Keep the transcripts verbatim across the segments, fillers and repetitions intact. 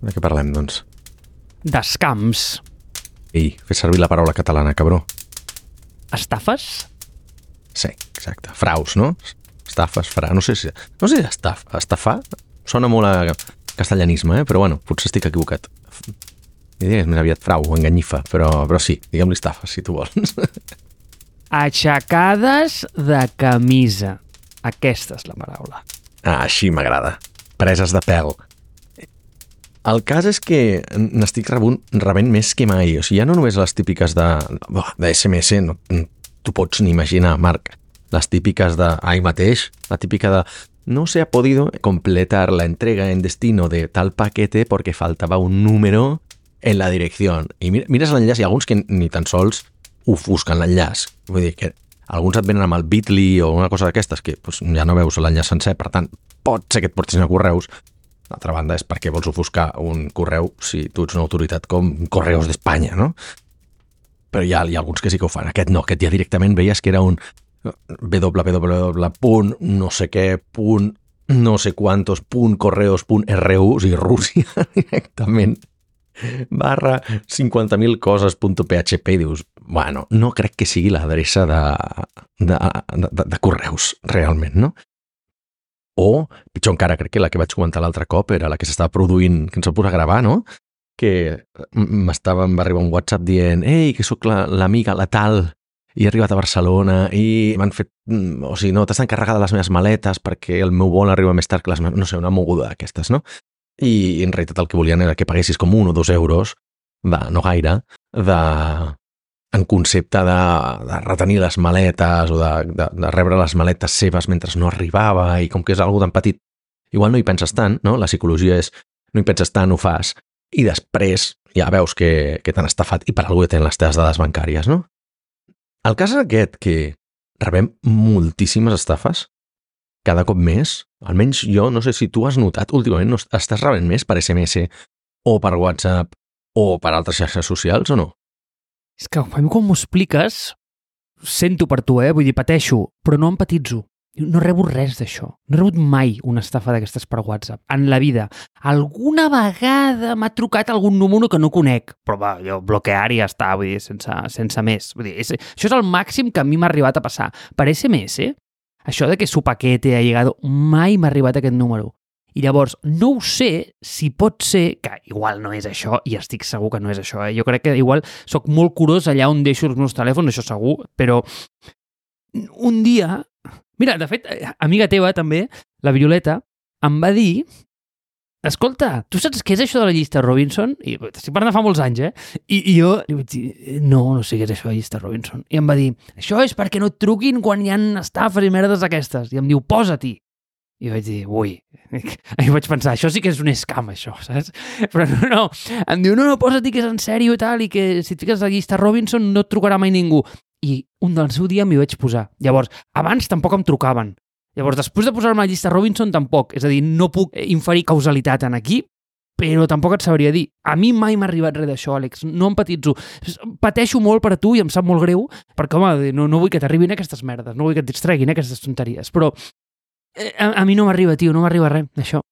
De què parlem, doncs? D'escams. Ei, fes servir la paraula catalana, cabró. Estafes? Sí, exacte. Fraus, no? Estafes, fra... No sé si... No sé si estaf... estafar sona molt a castellanisme, eh? Però bueno, potser estic equivocat. I digues més aviat frau o enganyifa, però, però sí, diguem-li estafes, si tu vols. Aixecades de camisa. Aquesta és la paraula. Ah, així m'agrada. Preses de pèl. El cas és que n'estic rebent, rebent més que mai. O sigui, ja no només les típiques de, de S M S, no, tu pots ni imaginar, Marc, les típiques de ahí mateix, la típica de no se ha podido completar la entrega en destino de tal paquete porque faltaba un número en la dirección. I mires l'enllaç, hi ha alguns que ni tan sols ofusquen l'enllaç. Vull dir que alguns et venen amb el bit punto l y o una cosa d'aquestes que pues, ja no veus l'enllaç sencer, per tant, pot ser que et portin a correus. D'altra banda, és perquè vols ofuscar un correu si tu ets una autoritat com Correus d'Espanya, no? Però hi ha, hi ha alguns que sí que ho fan. Aquest no, aquest ja directament veies que era un www punt no sé què punt no sé quantos punt correos punt r u, o sigui, Rússia directament, barra cinquanta mil coses punt p h p, i dius, bueno, no crec que sigui l'adreça de, de, de, de, de correus, realment, no? O, pitjor encara, crec que la que vaig comentar l'altre cop era la que s'estava produint, que ens va posar a gravar, no? Que m'estava, em va arribar un WhatsApp dient ei, que sóc l'amiga, la, la tal, i he arribat a Barcelona i m'han fet... O sigui, no, t'estan carregades les meves maletes perquè el meu vol arriba més tard que les meves... No sé, una moguda d'aquestes, no? I en realitat el que volien era que paguessis com un o dos euros, de, no gaire, de... en concepte de, de retenir les maletes o de, de, de rebre les maletes seves mentre no arribava, i com que és algo tan petit, igual no hi penses tant, no? La psicologia és no hi penses tant, ho fas, i després ja veus que, que t'han estafat i per algú ja tenen les teves dades bancàries, no? El cas és aquest, que rebem moltíssimes estafes cada cop més, almenys jo no sé si tu has notat, últimament no estàs rebent més per S M S o per WhatsApp o per altres xarxes socials o no? És que a mi quan m'ho expliques, sento per tu, eh? Vull dir, pateixo, però no empatitzo. No rebo res d'això. No he rebut mai una estafa d'aquestes per WhatsApp, en la vida. Alguna vegada m'ha trucat algun número que no conec, però va, jo bloquear i ja està, vull dir, sense, sense més. Vull dir, és, això és el màxim que a mi m'ha arribat a passar. Per S M S, això de que su paquete ha llegado, mai m'ha arribat aquest número. I llavors, no ho sé si pot ser, que igual no és això, i estic segur que no és això, eh? Jo crec que igual soc molt curós allà on deixo els meus telèfons, això segur, però un dia... Mira, de fet, amiga teva també, la Violeta, em va dir escolta, tu saps què és això de la llista Robinson? I estic parlant de fa molts anys, eh? I, i jo li vaig dir, no, no sé què és això de la llista Robinson. I em va dir, això és perquè no et truquin quan hi ha estafes i merdes d'aquestes. I em diu, posa-t'hi. I vaig dir, ui, i vaig pensar, això sí que és un scam, això, saps? Però no, no, em diu, no, no, posa-t'hi que és en sèrio i tal, i que si et fiques a la llista Robinson no et trucarà mai ningú. I un del seu dia m'hi vaig posar. Llavors, abans tampoc em trucaven. Llavors, després de posar-me a la llista Robinson, tampoc. És a dir, no puc inferir causalitat en aquí, però tampoc et sabria dir. A mi mai m'ha arribat res d'això, Àlex. No empatitzo. Pateixo molt per a tu i em sap molt greu, perquè, home, no, no vull que t'arribin aquestes merdes, no vull que et distreguin aquestes tonteries, però a, a mi no m'arriba, tio, no m'arriba res d'això.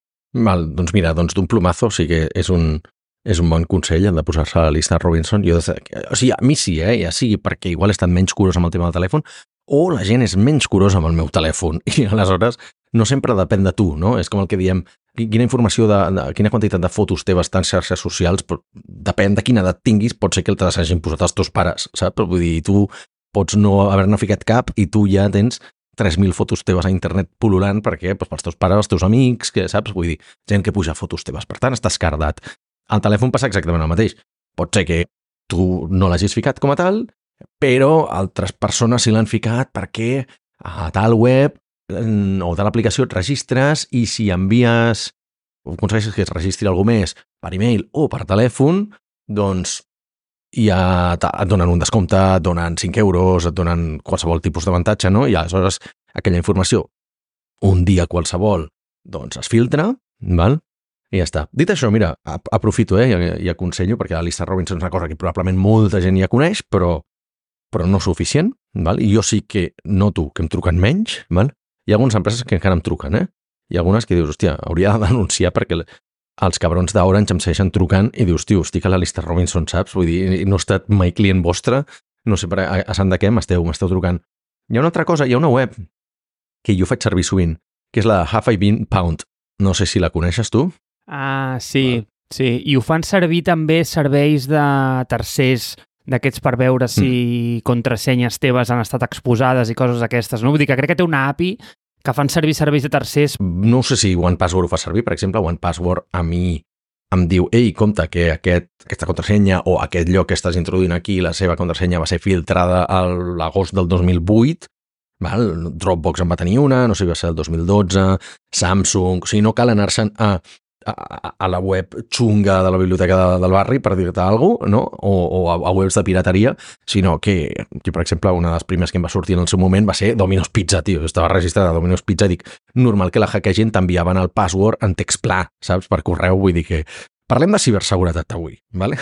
Val, doncs mira, doncs d'un plomazo sí que és un... és un bon consell, el de posar-se a la llista Robinson. Jo, o sigui, a mi sí, eh? Ja sigui perquè igual he estat menys curós amb el tema del telèfon o la gent és menys curosa amb el meu telèfon i aleshores no sempre depèn de tu, no? És com el que diem, quina informació, de, de quina quantitat de fotos teves en xarxes socials, però depèn de quina edat tinguis, pot ser que te les hagin posat els teus pares, saps? Vull dir, tu pots no haver-ne ficat cap i tu ja tens tres mil fotos teves a internet pul·lulant perquè doncs, pels teus pares, els teus amics, que saps? Vull dir, gent que puja fotos teves, per tant estàs cardat. Al telèfon passa exactament el mateix. Pot ser que tu no l'hagis ficat com a tal, però altres persones sí l'han ficat perquè a tal web o tal aplicació et registres i si envies o aconsegueixes que es registri algú més per e-mail o per telèfon, doncs ja et donen un descompte, et donen cinc euros, et donen qualsevol tipus d'avantatge, no? I aleshores aquella informació, un dia qualsevol, doncs es filtra, val? I ja està. Dit això, mira, aprofito eh, i, i aconsello, perquè la llista Robinson és una cosa que probablement molta gent ja coneix, però, però no suficient, val? I jo sí que noto que em truquen menys, val? Hi ha algunes empreses que encara em truquen, eh? Hi ha algunes que dius, hòstia, hauria de denunciar perquè els cabrons d'Orange em segueixen trucant i dius, tio, estic a la llista Robinson, saps? Vull dir, no he estat mai client vostre, no sé per a, a sant de què m'esteu, m'esteu trucant. Hi ha una altra cosa, hi ha una web que jo faig servir sovint, que és la Have I Been Pound. No sé si la coneixes tu. Ah, sí, Val. sí. I ho fan servir també serveis de tercers d'aquests per veure si mm. contrasenyes teves han estat exposades i coses d'aquestes, no? Vull dir que crec que té una A P I que fan servir serveis de tercers. No sé si OnePassword ho fa servir, per exemple, OnePassword a mi em diu, ei, compte que aquest, aquesta contrasenya o aquest lloc que estàs introduint aquí, la seva contrasenya va ser filtrada a l'agost del dos mil vuit, val? Dropbox en va tenir una, no sé si va ser el dos mil dotze, Samsung, o sigui, no cal anar-se'n a A, a la web xunga de la biblioteca de, del barri per dir-te alguna cosa, no? O, o a, a webs de pirateria, sinó que, que, per exemple, una de les primeres que em va sortir en el seu moment va ser Domino's Pizza, tio. Estava registrada a Domino's Pizza i dic, normal que la hackegin t'enviaven el password en text pla, saps? Per correu, vull dir que... Parlem de ciberseguretat avui, ¿vale?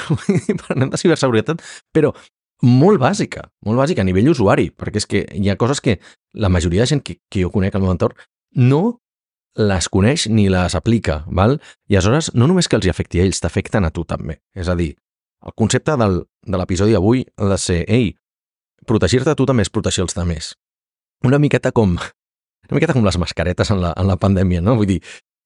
Parlem de ciberseguretat, però molt bàsica, molt bàsica a nivell usuari, perquè és que hi ha coses que la majoria de gent que, que jo conec al meu entorn no les coneix ni les aplica, val? I aleshores no només que els hi afecti a ells, t'afecten a tu també. És a dir, el concepte del, de l'episodi d'avui ha de ser, ei, protegir-te a tu també és protegir els altres. Una miqueta com una miqueta com les mascaretes en la, en la pandèmia, no? Vull dir,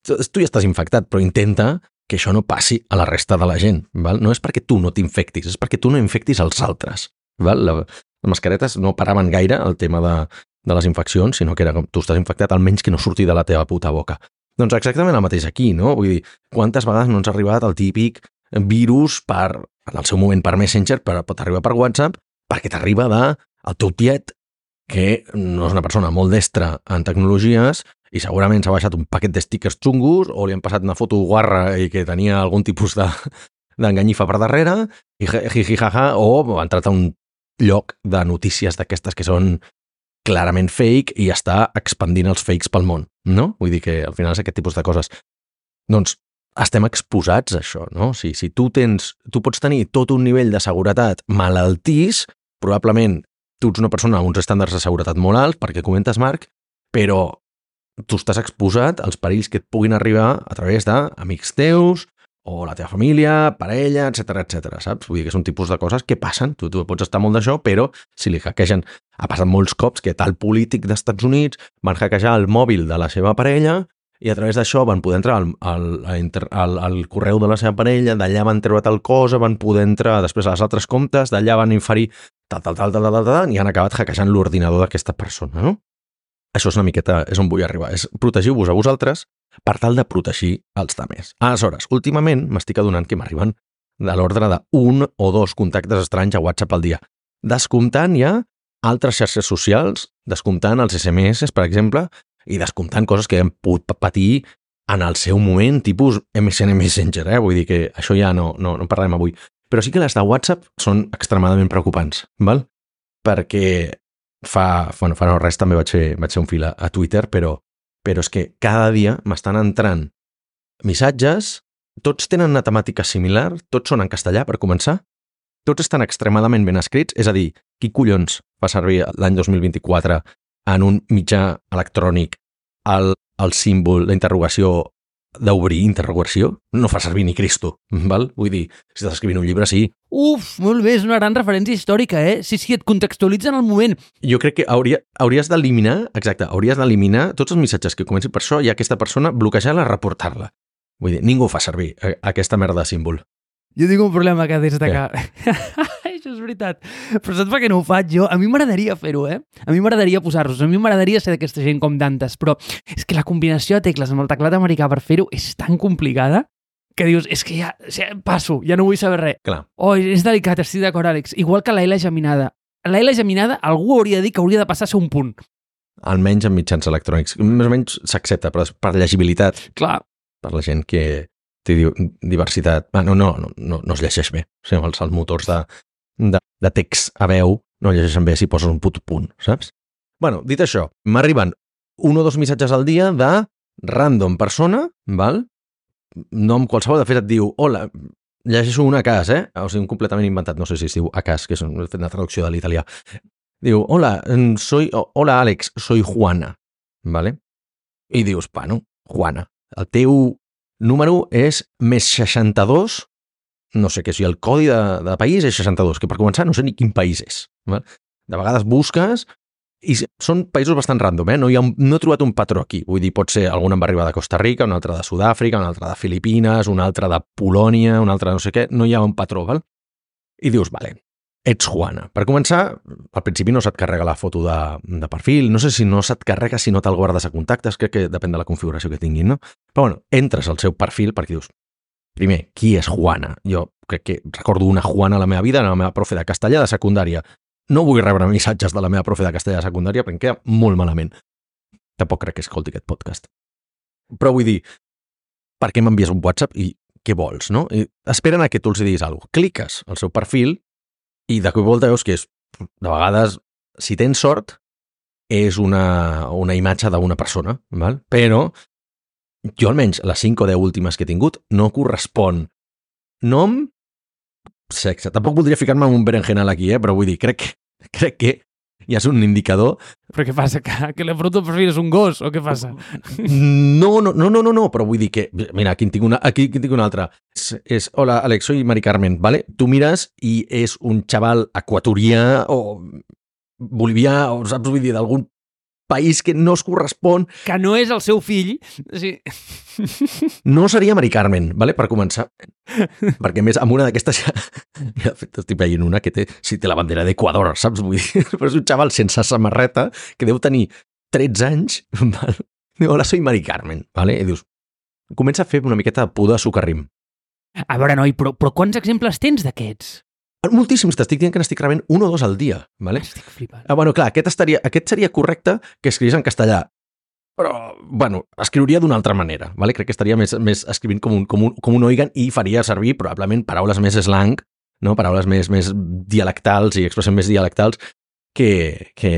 tu, tu ja estàs infectat, però intenta que això no passi a la resta de la gent, val? No és perquè tu no t'infectis, és perquè tu no infectis els altres, val? La, les mascaretes no paraven gaire el tema de de les infeccions, sinó que era com tu estàs infectat, almenys que no surti de la teva puta boca. Doncs exactament el mateix aquí, no? Vull dir, quantes vegades no ens ha arribat el típic virus per, en el seu moment per Messenger, per, pot arribar per WhatsApp, perquè t'arriba de el teu tiet, que no és una persona molt destra en tecnologies i segurament s'ha baixat un paquet de stickers xungos o li han passat una foto guarra i que tenia algun tipus de d'enganyifa per darrere i jijijaja, o ha entrat a un lloc de notícies d'aquestes que són clarament fake i està expandint els fakes pel món, no? Vull dir que al final és aquest tipus de coses. Doncs estem exposats a això, no? Si, si tu tens, tu pots tenir tot un nivell de seguretat malaltís, probablement tu ets una persona amb uns estàndards de seguretat molt alts, perquè comentes, Marc, però tu estàs exposat als perills que et puguin arribar a través d'amics teus, o la teva família, parella, etcètera, etcètera, saps? Vull dir que són tipus de coses que passen, tu, tu pots estar molt d'això, però si li hackegen, ha passat molts cops que tal polític dels Estats Units van hackejar el mòbil de la seva parella i a través d'això van poder entrar al, al, al, al correu de la seva parella, d'allà van treure tal cosa, van poder entrar després als altres comptes, d'allà van inferir tal, tal, tal, tal, tal, tal, tal i han acabat hackejant l'ordinador d'aquesta persona, no? Això és una miqueta, és on vull arribar, és protegiu-vos a vosaltres per tal de protegir els altres. Aleshores, últimament m'estic adonant que m'arriben de l'ordre d'un o dos contactes estranys a WhatsApp al dia, descomptant ja altres xarxes socials, descomptant els S M S, per exemple, i descomptant coses que hem pogut patir en el seu moment, tipus M S N Messenger, eh? Vull dir que això ja no, no, no parlem avui. Però sí que les de WhatsApp són extremadament preocupants, val? Perquè fa, bueno, fa no res també vaig fer, vaig fer un fil a, a Twitter, però, però és que cada dia m'estan entrant missatges, tots tenen una temàtica similar, tots són en castellà, per començar, tots estan extremadament ben escrits, és a dir, qui collons fa servir l'any dos mil vint-i-quatre en un mitjà electrònic el, el símbol, la interrogació d'obrir interrogació, no fa servir ni Cristo, val? Vull dir, si estàs escrivint un llibre, sí. Uf, molt bé, és una gran referència històrica, eh? Sí, sí, et contextualitza en el moment. Jo crec que hauria, hauries d'eliminar, exacte, hauries d'eliminar tots els missatges que comencin per això i aquesta persona bloquejar-la, reportar-la. Vull dir, ningú fa servir aquesta merda de símbol. Jo tinc un problema que des de que... Això és veritat. Però saps per què no ho faig jo? A mi m'agradaria fer-ho, eh? A mi m'agradaria posar-los. A mi m'agradaria ser d'aquesta gent com Dantes. Però és que la combinació de tecles amb el teclat americà per fer-ho és tan complicada que dius, és que ja, ja passo, ja no vull saber res. Clar. Oh, és delicat, estic d'acord, Àlex. Igual que la L geminada. La L geminada algú hauria de dir que hauria de passar a ser un punt. Almenys en mitjans electrònics. Més o menys s'accepta, però per llegibilitat. Clar. Per la gent que té diversitat. Ah, no, no, no, no, no es llegeix bé. O sigui, els, els motors de, de, de text a veu no llegeixen bé si poses un puto punt, saps? Bueno, dit això, m'arriben un o dos missatges al dia de random persona, val? Nom qualsevol, de fet et diu, hola, llegeixo un a cas, eh? O sigui, un completament inventat, no sé si es diu a cas, que és una traducció de l'italià. Diu, hola, soy, hola Àlex, soy Juana, vale? I dius, bueno, Juana, el teu número és més seixanta-dos, no sé què, si el codi de, de país és seixanta-dos, que per començar no sé ni quin país és. Val? De vegades busques i són països bastant random, eh? No, hi ha un, no he trobat un patró aquí. Vull dir, pot ser algun en va arribar de Costa Rica, un altre de Sud-àfrica, un altre de Filipines, un altre de Polònia, un altre de no sé què. No hi ha un patró, val? I dius, vale, ets Juana. Per començar, al principi no se't carrega la foto de, de perfil, no sé si no se't carrega si no te'l guardes a contactes, crec que depèn de la configuració que tinguin, no? Però bueno, entres al seu perfil perquè dius, primer, qui és Juana? Jo crec que recordo una Juana a la meva vida, la meva profe de castellà de secundària. No vull rebre missatges de la meva profe de castellà de secundària perquè em queda molt malament. Tampoc crec que escolti aquest podcast. Però vull dir, per què m'envies un WhatsApp i què vols, no? I esperen a que tu els diguis alguna cosa. Cliques al seu perfil i de cop i volta veus que és, de vegades, si tens sort, és una, una imatge d'una persona, val? Però jo almenys les cinc o deu últimes que he tingut no correspon nom, sexe. Tampoc voldria ficar-me en un berenjenal aquí, eh? Però vull dir, crec, crec que ja és un indicador. Però què passa? Que, que la foto de perfil és un gos o què passa? No, no, no, no, no, no, però vull dir que, mira, aquí en tinc una, aquí en tinc una altra. És, és, hola, Alex, soy Mari Carmen, ¿vale? Tu mires i és un xaval equatorià o bolivià o, saps, vull dir, d'algun país que no es correspon. Que no és el seu fill. Sí. No seria Mari Carmen, ¿vale? Per començar. Perquè, més, amb una d'aquestes ja... ja estic veient una que té, sí, té la bandera d'Equador, saps? Vull dir, però és un xaval sense samarreta que deu tenir tretze anys, val? Diu, hola, soy Mari Carmen, ¿vale? I dius, comença a fer una miqueta de pudor a sucarrim. A veure, noi, però, però quants exemples tens d'aquests? Moltíssims, t'estic dient que n'estic rebent un o dos al dia, ¿vale? Estic flipant. Ah, bueno, clar, aquest, estaria, aquest seria correcte que escrivís en castellà, però, bueno, escriuria d'una altra manera, ¿vale? Crec que estaria més, més escrivint com un, com, un, com un oigan i faria servir probablement paraules més slang, no? Paraules més, més dialectals i expressions més dialectals que, que,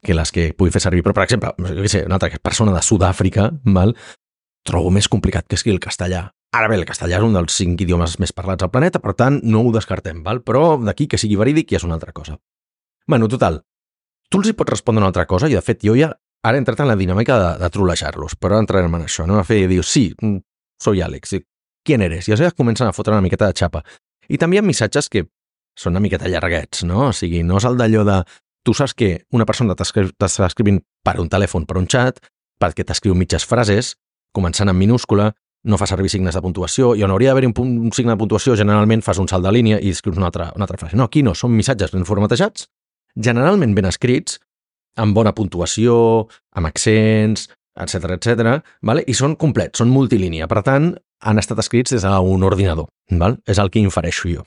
que les que pugui fer servir. Però, per exemple, jo què sé, una altra persona de Sud-àfrica, val? Trobo més complicat que escriure el castellà. Ara bé, el castellà és un dels cinc idiomes més parlats al planeta, per tant, no ho descartem, val? Però d'aquí que sigui verídic ja és una altra cosa. Bueno, total, tu els hi pots respondre una altra cosa i, de fet, jo ja ara he entrat en la dinàmica de, de trolejar-los, però entrarem en això, no? A fer i dius, sí, soy Alex, ¿quién eres? I llavors comencen a fotre una miqueta de xapa. I també hi ha missatges que són una miqueta llarguets, no? O sigui, no és el d'allò de... Tu saps que una persona t'està escrivint per un telèfon, per un xat, perquè t'escriu mitges frases, començant en minúscula, no fa servir signes de puntuació, i on hauria d'haver un, un signe de puntuació, generalment fas un salt de línia i escrius una altra, una altra frase. No, aquí no, són missatges ben formatejats, generalment ben escrits, amb bona puntuació, amb accents, etcètera, etcètera, vale? I són complets, són multilínia. Per tant, han estat escrits des d'un ordinador. Val? És el que infereixo jo.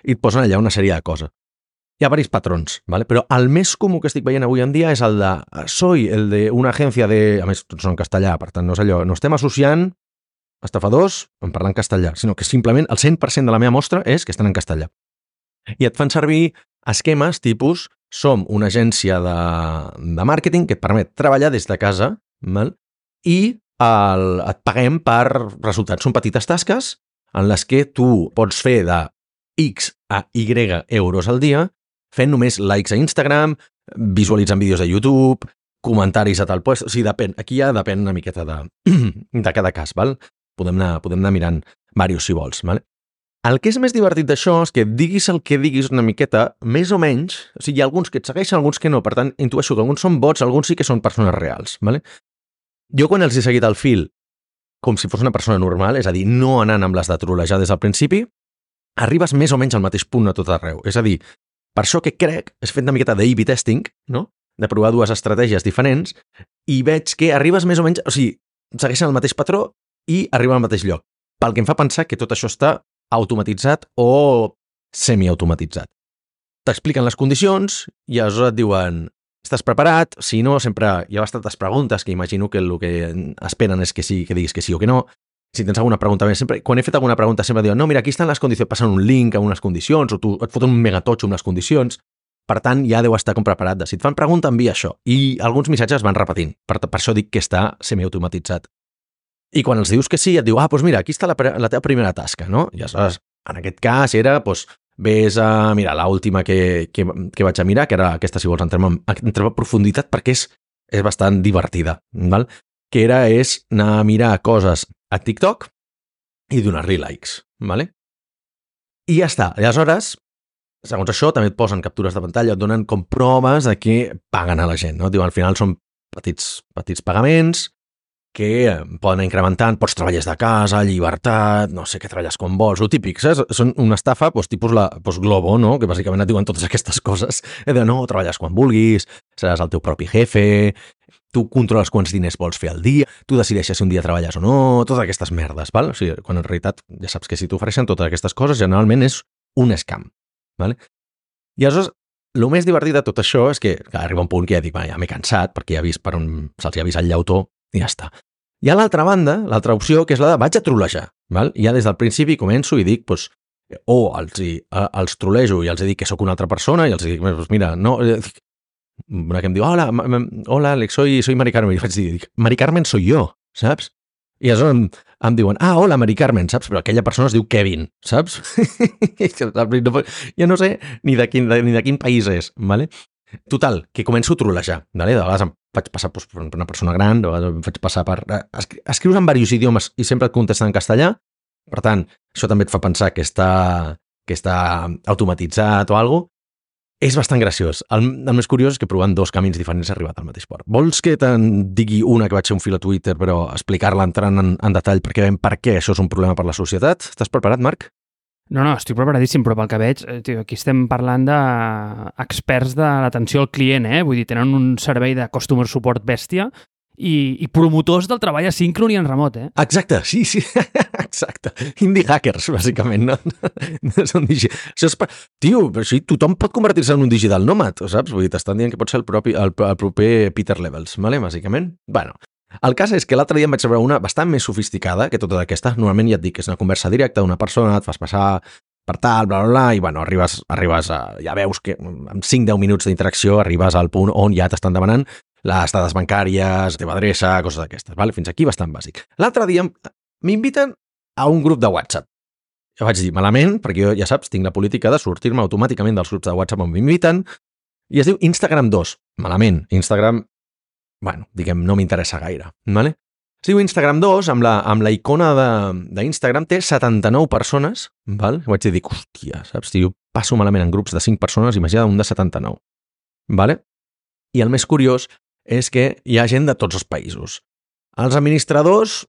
I et posen allà una sèrie de coses. Hi ha diversos patrons, ¿vale? Però el més comú que estic veient avui en dia és el de soy el de una agència de... A més, tots són en castellà, per tant, no és allò. No estem associant estafadors en parlar en castellà, sinó que simplement el cent per cent de la meva mostra és que estan en castellà. I et fan servir esquemes tipus som una agència de, de màrqueting que et permet treballar des de casa, val? I el, et paguem per resultats. Són petites tasques en les que tu pots fer de X a Y euros al dia fent només likes a Instagram, visualitzant vídeos a YouTube, comentaris a tal lloc. O sigui, depèn. Aquí ja depèn una miqueta de, de cada cas, val? Podem anar, podem anar mirant diversos si vols, val? El que és més divertit d'això és que diguis el que diguis una miqueta, més o menys, o sigui, hi ha alguns que et segueixen, alguns que no, per tant, intueixo que alguns són bots, alguns sí que són persones reals, vale? Jo quan els he seguit el fil com si fos una persona normal, és a dir, no anant amb les de trolejar des del principi, arribes més o menys al mateix punt a tot arreu. És a dir, per això que crec, és fet una miqueta d'A B testing, no? De provar dues estratègies diferents, i veig que arribes més o menys, o sigui, segueixen el mateix patró i arriben al mateix lloc. Pel que em fa pensar que tot això està automatitzat o semiautomatitzat. T'expliquen les condicions i aleshores et diuen estàs preparat? Si no, sempre hi ha bastantes preguntes que imagino que el que esperen és que sí, que diguis que sí o que no. Si tens alguna pregunta més, sempre, quan he fet alguna pregunta sempre diuen no, mira, aquí estan les condicions, passen un link a unes condicions o tu et foten un megatotxo amb les condicions. Per tant, ja deu estar com preparat de si et fan pregunta, envia això. I alguns missatges van repetint. Per, per això dic que està semiautomatitzat. I quan els dius que sí, et diu, ah, doncs mira, aquí està la, la teva primera tasca, no? I aleshores, en aquest cas era, doncs, ves a mirar l'última que, que, que vaig a mirar, que era aquesta, si vols, entrem en, entrem en profunditat, perquè és, és bastant divertida, val? Que era, és anar a mirar coses a TikTok, i donar-li likes, ¿vale? I ja està. I aleshores, segons això, també et posen captures de pantalla, et donen com proves de que paguen a la gent, no? Diuen, al final són petits, petits pagaments que poden anar incrementant, pots treballar de casa, llibertat, no sé què, treballes quan vols, el típic, saps? Són una estafa, doncs, tipus la doncs, Globo, no? Que bàsicament et diuen totes aquestes coses, de no, treballes quan vulguis, seràs el teu propi jefe, tu controles quants diners vols fer al dia, tu decideixes si un dia treballes o no, totes aquestes merdes, val? O sigui, quan en realitat ja saps que si t'ofereixen totes aquestes coses, generalment és un scam, vale? I aleshores, el més divertit de tot això és que, que arriba un punt que ja dic, ja m'he cansat, perquè ja he vist per on se'ls ha vist el llautó, i ja està. Hi ha l'altra banda, l'altra opció, que és la de vaig a trolejar, val? I ja des del principi començo i dic, doncs, o els, hi, els trolejo i els dic que sóc una altra persona i els dic, doncs mira, no... Una que em diu, hola, hola Alex, soy, soy Mari Carmen. I vaig dir, dic, Mari Carmen soy yo, saps? I aleshores em, em diuen, ah, hola Mari Carmen, saps? Però aquella persona es diu Kevin, saps? Ja no sé ni de quin, de, ni de quin país és, ¿vale? Total, que començo a trolejar, ¿vale? De vegades em faig passar doncs, per una persona gran, de vegades em faig passar per... Escrius en diversos idiomes i sempre et contesten en castellà, per tant, això també et fa pensar que està, que està automatitzat o alguna cosa. És bastant graciós. El, el més curiós és que provant dos camins diferents he arribat al mateix port. Vols que te'n digui una que vaig fer un fil a Twitter, però explicar-la entrant en, en detall perquè veiem per què això és un problema per la societat? Estàs preparat, Marc? No, no, estic preparadíssim, però pel que veig, tio, aquí estem parlant d'experts de l'atenció al client, eh? Vull dir, tenen un servei de customer support bèstia i, i promotors del treball asíncron i en remot, eh? Exacte, sí, sí, exacte. Indie hackers, bàsicament, no? Són digi... Això és... Tio, però sí, tothom pot convertir-se en un digital nòmad, saps? Vull dir, t'estan dient que pot ser el, propi, el, el proper Peter Levels, vale? Bàsicament. Bueno, el cas és que l'altre dia em vaig rebre una bastant més sofisticada que totes aquestes. Normalment ja et dic que és una conversa directa d'una persona, et fas passar per tal, bla, bla, bla, i bueno, arribes, arribes a... Ja veus que en cinc a deu minuts d'interacció arribes al punt on ja t'estan demanant les dades bancàries, teva adreça, coses d'aquestes, vale? Fins aquí bastant bàsic. L'altre dia m'inviten a un grup de WhatsApp. Jo vaig dir, malament, perquè jo, ja saps, tinc la política de sortir-me automàticament dels grups de WhatsApp on m'inviten, i es diu Instagram dos. Malament, Instagram... Bueno, diguem, no m'interessa gaire, ¿vale? Es diu Instagram dos, amb la, amb la icona d'Instagram, té setanta-nou persones, val? I vaig dir, dic, hòstia, saps? Si jo passo malament en grups de cinc persones, imagina un de setanta-nou, vale? I el més curiós és que hi ha gent de tots els països. Els administradors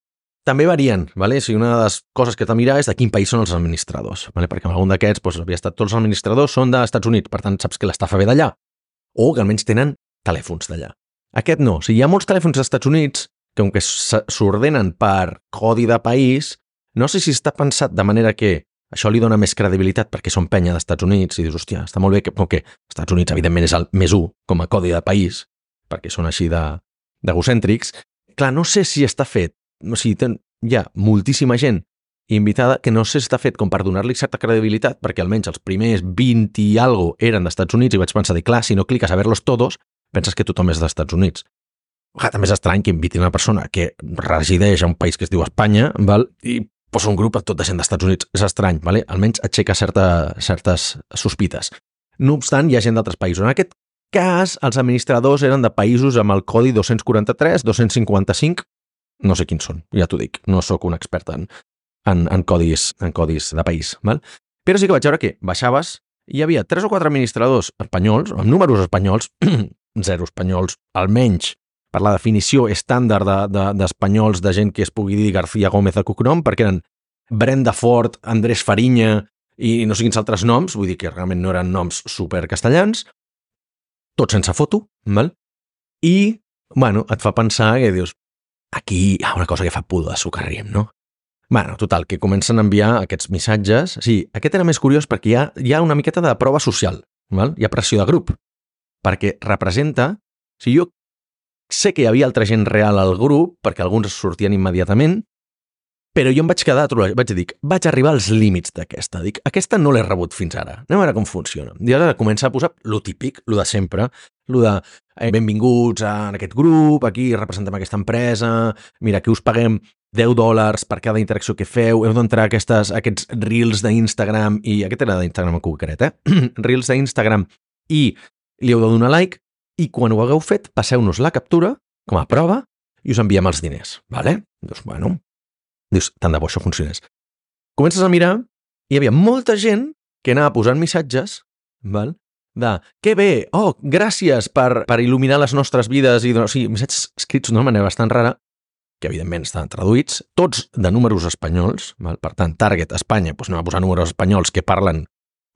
també varien, vale? Si una de les coses que t'ha de mirar és de quin país són els administradors, vale? Perquè en algun d'aquests doncs, havia estat tots els administradors són dels Estats Units, per tant saps que l'estafa ve d'allà, o que almenys tenen telèfons d'allà. Aquest no. O sigui, hi ha molts telèfons dels Estats Units que, com que s'ordenen per codi de país, no sé si està pensat de manera que això li dona més credibilitat perquè són penya dels Estats Units i dius, hòstia, està molt bé que, com que els Estats Units evidentment és el més u com a codi de país, perquè són així d'egocèntrics. Clar, no sé si està fet, o sigui, ten, hi ha moltíssima gent invitada que no sé si està fet com per donar-li certa credibilitat, perquè almenys els primers vint i algo eren dels Estats Units i vaig pensar, clar, si no cliques a verlos todos, penses que tothom és dels Estats Units. Ah, també és estrany que invitin una persona que resideix a un país que es diu Espanya, val? I posa un grup tot de gent dels Estats Units. És estrany, vale? Almenys aixeca certa, certes sospites. No obstant, hi ha gent d'altres països. En aquest cas, els administradors eren de països amb el codi dos-cents quaranta-tres, dos-cents cinquanta-cinc, no sé quins són, ja t'ho dic, no sóc un expert en, en, en, codis, en codis de país. Val? Però sí que vaig veure que baixaves i hi havia tres o quatre administradors espanyols, amb números espanyols, zero espanyols, almenys per la definició estàndard d'espanyols de, de, de gent que es pugui dir García Gómez de cognom, perquè eren Brenda Ford, Andrés Fariña i no sé quins altres noms, vull dir que realment no eren noms supercastellans, tots sense foto, val? I, bueno, et fa pensar que dius, aquí hi ha una cosa que fa pudor de socarrim, no? Bueno, total, que comencen a enviar aquests missatges. Sí, aquest era més curiós perquè hi ha, hi ha una miqueta de prova social, val? Hi ha pressió de grup, perquè representa... O sigui, jo sé que hi havia altra gent real al grup, perquè alguns sortien immediatament, però jo em vaig quedar, vaig dir, vaig arribar als límits d'aquesta. Dic, aquesta no l'he rebut fins ara. Anem a veure com funciona. I ara comença a posar lo típic, lo de sempre, lo de eh, benvinguts a aquest grup, aquí representem aquesta empresa, mira, aquí us paguem deu dòlars per cada interacció que feu, heu d'entrar a aquestes, aquests reels d'Instagram, i aquest era d'Instagram en concret, eh? Reels d'Instagram, i li heu de donar like, i quan ho hagueu fet, passeu-nos la captura com a prova i us enviem els diners, vale? Dius, bueno, dius, tant de bo això funcionés. comences a mirar i hi havia molta gent que anava posant missatges, val? De, que bé, oh, gràcies per, per il·luminar les nostres vides, i, o sigui, missatges escrits d'una manera bastant rara, que evidentment estaven traduïts, tots de números espanyols, val? Per tant, Target Espanya, doncs anem a posar números espanyols que parlen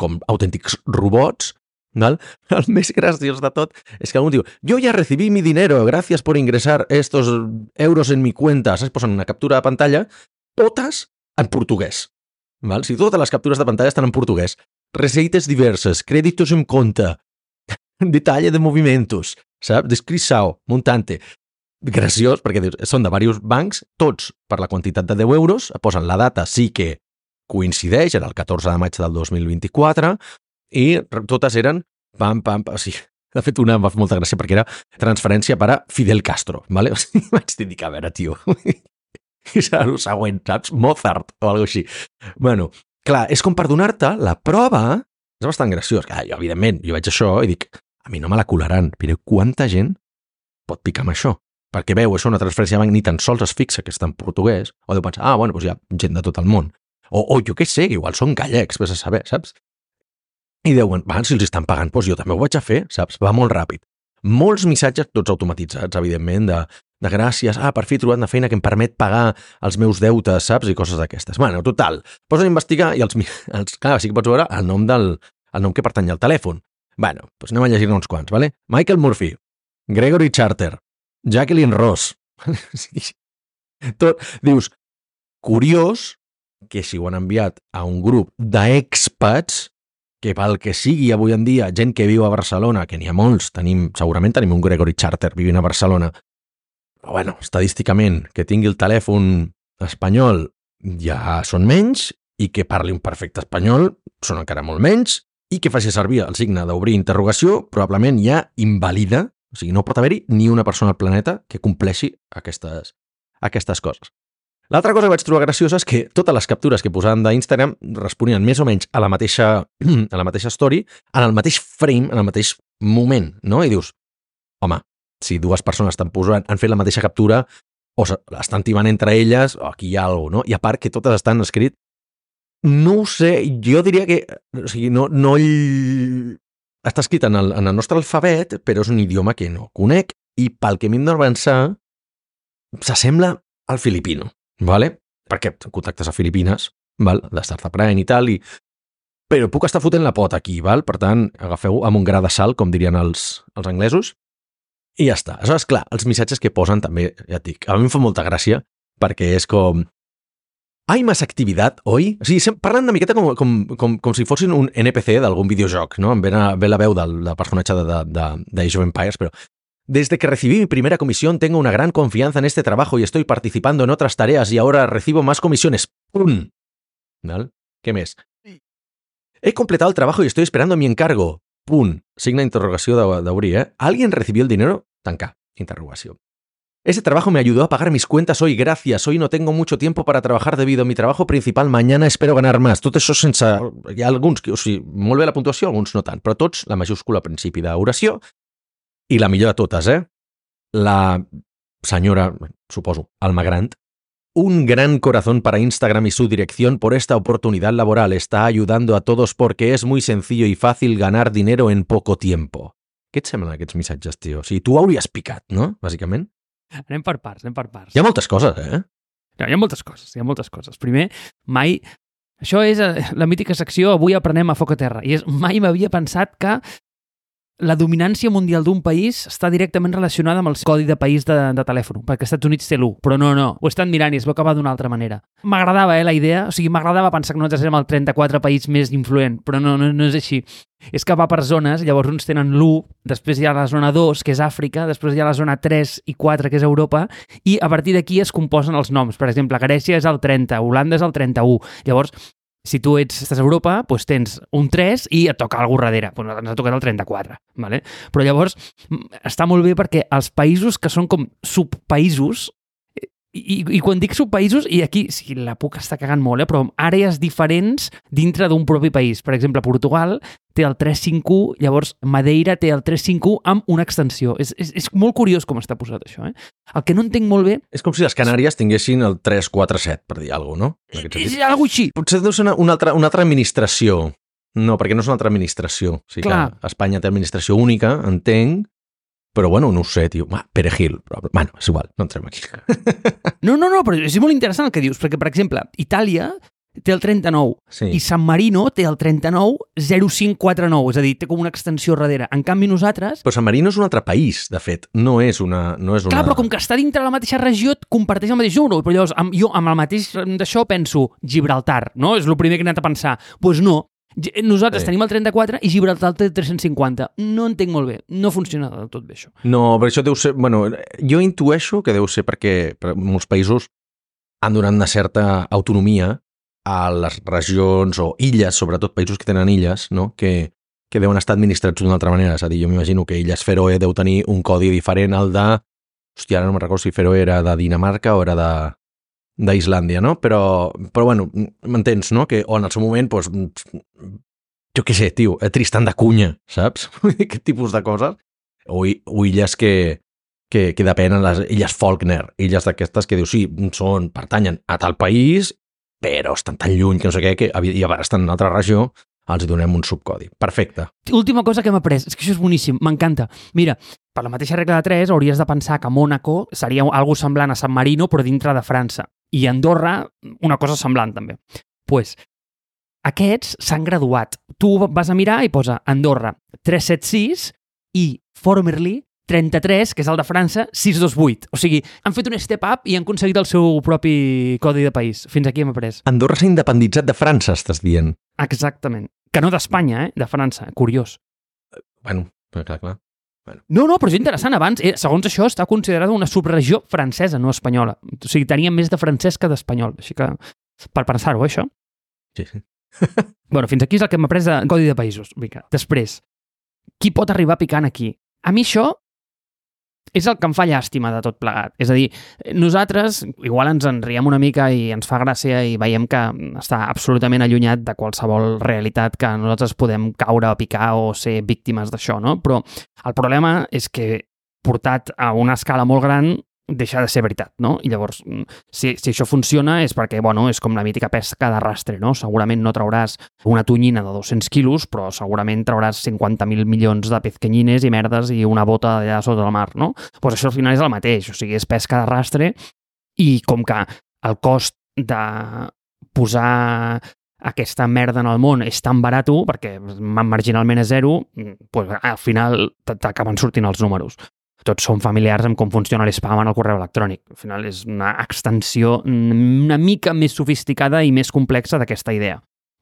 com autèntics robots, val? El més graciós de tot és que algú diu, yo ya recibí mi dinero, gracias por ingresar estos euros en mi cuenta, saps? Posen una captura de pantalla, totes en portuguès, val? Si totes les captures de pantalla estan en portuguès, receites diverses, créditos en compte, detalle de movimientos, saps? Descripció, montante. Graciós, perquè dius, són de diversos bancs, tots per la quantitat de deu euros, posen la data, sí que coincideix, era el catorze de maig del dos mil vint-i-quatre, i totes eren pam, pam, pam, sí. De fet, una em va fer molta gràcia perquè era transferència per a Fidel Castro, ¿vale? O sigui, vaig dir, a veure, tio, és el següent, saps? Mozart o alguna així. Bueno, clar, és com per donar-te la prova, és bastant graciós. Clar, jo, evidentment, jo veig això i dic, a mi no me la colaran, però quanta gent pot picar amb això? Perquè veu, això una transferència de banc ni tan sols es fixa que està en portuguès, o deu pensar, ah, bueno, doncs hi ha gent de tot el món. O, o jo què sé, igual són gallecs, vés a saber, saps? I deuen, va, si els estan pagant, doncs jo també ho vaig a fer, saps? Va molt ràpid. Molts missatges, tots automatitzats, evidentment, de, de gràcies, ah, per fi he trobat una feina que em permet pagar els meus deutes, saps? I coses d'aquestes. Bueno, total, posen a investigar i els, els, clar, sí que pots veure el nom, del, el nom que pertany al telèfon. Bueno, doncs anem a llegir uns quants, ¿vale? Michael Murphy, Gregory Charter, Jacqueline Ross. Tot, dius, curiós que si ho han enviat a un grup d'expats, que pel que sigui avui en dia, gent que viu a Barcelona, que n'hi ha molts, tenim, segurament tenim un Gregory Charter vivint a Barcelona, però bueno, estadísticament, que tingui el telèfon espanyol ja són menys, i que parli un perfecte espanyol són encara molt menys, i que faci servir el signe d'obrir interrogació, probablement ja invalida. O sigui, no pot haver-hi ni una persona al planeta que compleixi aquestes, aquestes coses. L'altra cosa que vaig trobar graciosa és que totes les captures que posaven d'Instagram responien més o menys a la mateixa, a la mateixa story, en el mateix frame, en el mateix moment, no? I dius, home, si dues persones estan posant, han fet la mateixa captura o estan timant entre elles, o aquí hi ha alguna cosa, no? I a part que totes estan escrit, no ho sé, jo diria que, o sigui, no, no està escrit en el, en el nostre alfabet, però és un idioma que no conec, i pel que m'hem d'avançar, s'assembla al filipino, ¿vale? Perquè contactes a Filipines, val? De Startup Brain i tal, i... però puc estar fotent la pota aquí, val? Per tant, agafeu amb un gra de sal, com dirien els, els anglesos, i ja està. Aleshores, clar, els missatges que posen també, ja et dic, a mi em fa molta gràcia, perquè és com... Hay más actividad hoy? O sigui, parlen una miqueta com, com, com, com si fossin un N P C d'algun videojoc, no? Em ve, a, ve la veu del, del personatge de, de, de, de Age of Empires, però... Desde que recibí mi primera comisión tengo una gran confianza en este trabajo y estoy participando en otras tareas y ahora recibo más comisiones. ¡Pum! ¿Vale? ¿Qué més? He completado el trabajo y estoy esperando mi encargo. ¡Pum! Signa interrogació d'obrir, ¿eh? ¿Alguien recibió el dinero? Tancar. Interrogació. Ese trabajo me ayudó a pagar mis cuentas hoy, gracias. Hoy no tengo mucho tiempo para trabajar debido a mi trabajo principal. Mañana espero ganar más. Tot això sense... Hi ha alguns que, o sigui, molt bé la puntuació, alguns no tant, però tots la majúscula al principi d'oració. I la millor de totes, eh? La senyora, suposo, Alma Grant. Un gran corazón para Instagram y su dirección por esta oportunidad laboral. Está ayudando a todos porque es muy sencillo y fácil ganar dinero en poco tiempo. Què et semblen aquests missatges, tio? O sigui, tu ho hauries picat, no? Bàsicament. Anem per parts, anem per parts. Hi ha moltes coses, eh? No, hi ha moltes coses, hi ha moltes coses. Primer, mai... Això és la mítica secció Avui aprenem a foc a terra. I és, mai m'havia pensat que la dominància mundial d'un país està directament relacionada amb el codi de país de, de telèfon, perquè als Estats Units té l'u, però no, no, ho estan mirant i es va acabar d'una altra manera. M'agradava, eh, la idea, o sigui, m'agradava pensar que nosaltres érem el trenta-quatre país més influent, però no, no, no és així. És que va per zones, llavors uns tenen l'u, després hi ha la zona dos, que és Àfrica, després hi ha la zona tres i quatre, que és Europa, i a partir d'aquí es composen els noms. Per exemple, Grècia és el trenta, Holanda és el trenta-u. Llavors, si tu ets, estàs a Europa, doncs tens un tres i et toca algú darrere. Doncs ens ha tocat el trenta-quatre. Vale? Però llavors està molt bé perquè els països que són com subpaïsos I, i quan dic subpaïsos, i aquí sí, la puc estar cagant molt, eh, però àrees diferents dintre d'un propi país. Per exemple, Portugal té el tres cinc u, llavors Madeira té el tres cinc u amb una extensió. És, és, és molt curiós com està posat això. Eh? El que no entenc molt bé... És com si les Canàries tinguessin el tres quatre set, per dir alguna cosa, no? És alguna així. Potser deu ser una, una, altra, una altra administració. No, perquè no és una altra administració. O sigui Clar. que Espanya té administració única, entenc, però bueno, no ho sé, tio. Va, Perejil. Però, bueno, és igual, no entrem aquí. No, no, no, però és molt interessant el que dius, perquè, per exemple, Itàlia té el trenta-nou sí. i San Marino té el trenta-nou zero cinc quatre nou, és a dir, té com una extensió darrere. En canvi, nosaltres... Però San Marino és un altre país, de fet. No és una... No és una... Clar, però com que està dintre la mateixa regió, et comparteix el mateix número. Però llavors, amb, jo amb el mateix d'això penso Gibraltar, no? És el primer que he anat a pensar. Doncs pues no. Nosaltres sí. tenim el trenta-quatre i Gibraltar té tres-cents cinquanta. No entenc molt bé. No funciona del tot bé, això. No, però això deu ser... Bueno, jo intueixo que deu ser perquè per molts països han donat una certa autonomia a les regions o illes, sobretot països que tenen illes, no? que, que deuen estar administrats d'una altra manera. És a dir, jo m'imagino que Illes Feroe deu tenir un codi diferent al de... Hòstia, ara no me'n recordo si Feroe era de Dinamarca o era de... d'Islàndia, no? Però, però bueno, m'entens, no? Que, o en el seu moment, doncs, jo què sé, tio, Tristan da Cunha, saps? Aquest tipus de coses. O, o illes que, que, que depenen, les illes Faulkner, illes d'aquestes que dius, sí, són, pertanyen a tal país, però estan tan lluny que no sé què, que i a estan en una altra regió, els donem un subcodi. Perfecte. Última cosa que hem après, és que això és boníssim, m'encanta. Mira, per la mateixa regla de tres hauries de pensar que Mònaco seria algo semblant a San Marino, però dintre de França. I Andorra, una cosa semblant, també. Doncs, pues, aquests s'han graduat. Tu vas a mirar i posa Andorra tres set sis i formerly trenta-tres, que és el de França, sis dos vuit. O sigui, han fet un step up i han aconseguit el seu propi codi de país. Fins aquí hem après. Andorra s'ha independitzat de França, estàs dient. Exactament. Que no d'Espanya, eh? De França. Curiós. Bueno, clar, clar. Bueno. No, no, però és interessant. Abans, eh, segons això, està considerada una subregió francesa, no espanyola. O sigui, tenia més de francès que d'espanyol. Així que, per pensar-ho, això. Sí, sí. Bueno, fins aquí és el que hem après de codi de països. Vinga. Després, qui pot arribar picant aquí? A mi això és el que em fa llàstima de tot plegat. És a dir, nosaltres igual ens en riem una mica i ens fa gràcia i veiem que està absolutament allunyat de qualsevol realitat que nosaltres podem caure o picar o ser víctimes d'això, no? Però el problema és que portat a una escala molt gran deixa de ser veritat, no? I llavors, si, si això funciona és perquè, bueno, és com la mítica pesca d'arrastre, no? Segurament no trauràs una tonyina de dos-cents quilos, però segurament trauràs cinquanta mil milions de pezquenyines i merdes i una bota allà sota el mar, no? Doncs pues això al final és el mateix, o sigui, és pesca d'arrastre i com que el cost de posar aquesta merda en el món és tan barat, perquè marginalment és zero, pues, al final t'acaben sortint els números. Tots som familiars amb com funciona l'spam en el correu electrònic. Al final és una extensió una mica més sofisticada i més complexa d'aquesta idea.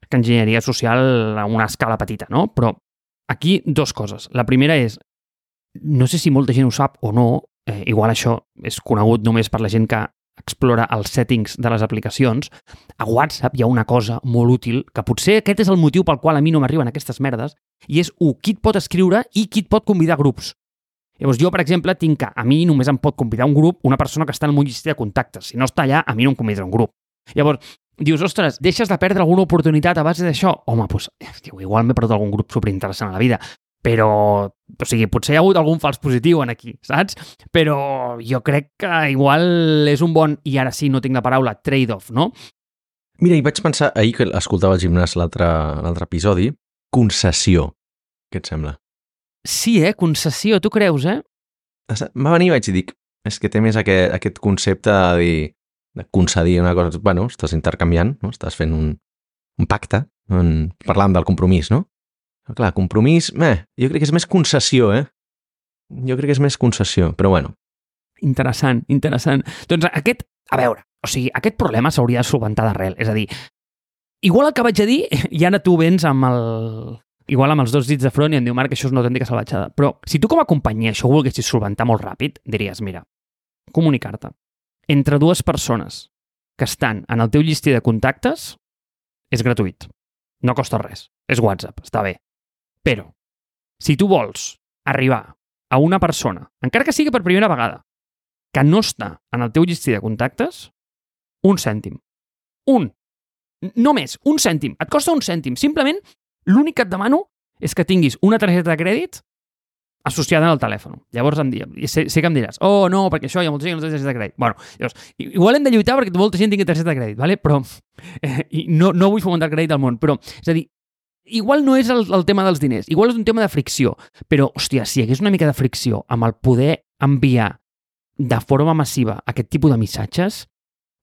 Que enginyeria social a una escala petita, no? Però aquí dos coses. La primera és, no sé si molta gent ho sap o no, eh, igual això és conegut només per la gent que explora els settings de les aplicacions. A WhatsApp hi ha una cosa molt útil, que potser aquest és el motiu pel qual a mi no m'arriben aquestes merdes, i és, u, qui et pot escriure i qui et pot convidar a grups. Llavors, jo, per exemple, tinc que a mi només em pot convidar un grup una persona que està en el meu llistó de contactes. Si no està allà, a mi no em convidarà un grup. Llavors, dius, ostres, deixes de perdre alguna oportunitat a base d'això? Home, doncs, tio, igual m'he perdut algun grup superinteressant a la vida, però, o sigui, potser hi ha hagut algun fals positiu en aquí, saps? Però jo crec que igual és un bon, i ara sí, no tinc la paraula, trade-off, no? Mira, i vaig pensar, ahir que escoltava el gimnàs l'altre l'altre episodi, concessió. Què et sembla? Sí, eh? Concessió, tu creus, eh? Va venir i vaig dir, és que té més aquest, aquest concepte de, dir, de concedir una cosa. Bueno, estàs intercanviant, no? Estàs fent un, un pacte, en, parlant del compromís, no? Però clar, compromís, eh, jo crec que és més concessió, eh? Jo crec que és més concessió, però bueno. Interessant, interessant. Doncs aquest, a veure, o sigui, aquest problema s'hauria de solventar d'arrel. És a dir, igual el que vaig a dir, i ara tu vens amb el... Igual amb els dos dits de front i em diu, Marc, això és una autèntica salvatjada. Però si tu com a companyia això ho volguessis solventar molt ràpid, diries, mira, comunicar-te entre dues persones que estan en el teu llistí de contactes és gratuït. No costa res. És WhatsApp, està bé. Però, si tu vols arribar a una persona, encara que sigui per primera vegada, que no està en el teu llistí de contactes, un cèntim. Un. No més, un cèntim. Et costa un cèntim. Simplement, l'únic que et demano és que tinguis una targeta de crèdit associada al telèfon. Llavors em dius, sé, sé que em diràs, oh, no, perquè això hi ha molta gent que no té targeta de crèdit. Bueno, llavors, igual hem de lluitar perquè molta gent tingui targeta de crèdit, ¿vale? Però eh, i no, no vull fomentar el crèdit al món, però, és a dir, igual no és el, el tema dels diners, igual és un tema de fricció, però, hòstia, si hi hagués una mica de fricció amb el poder enviar de forma massiva aquest tipus de missatges,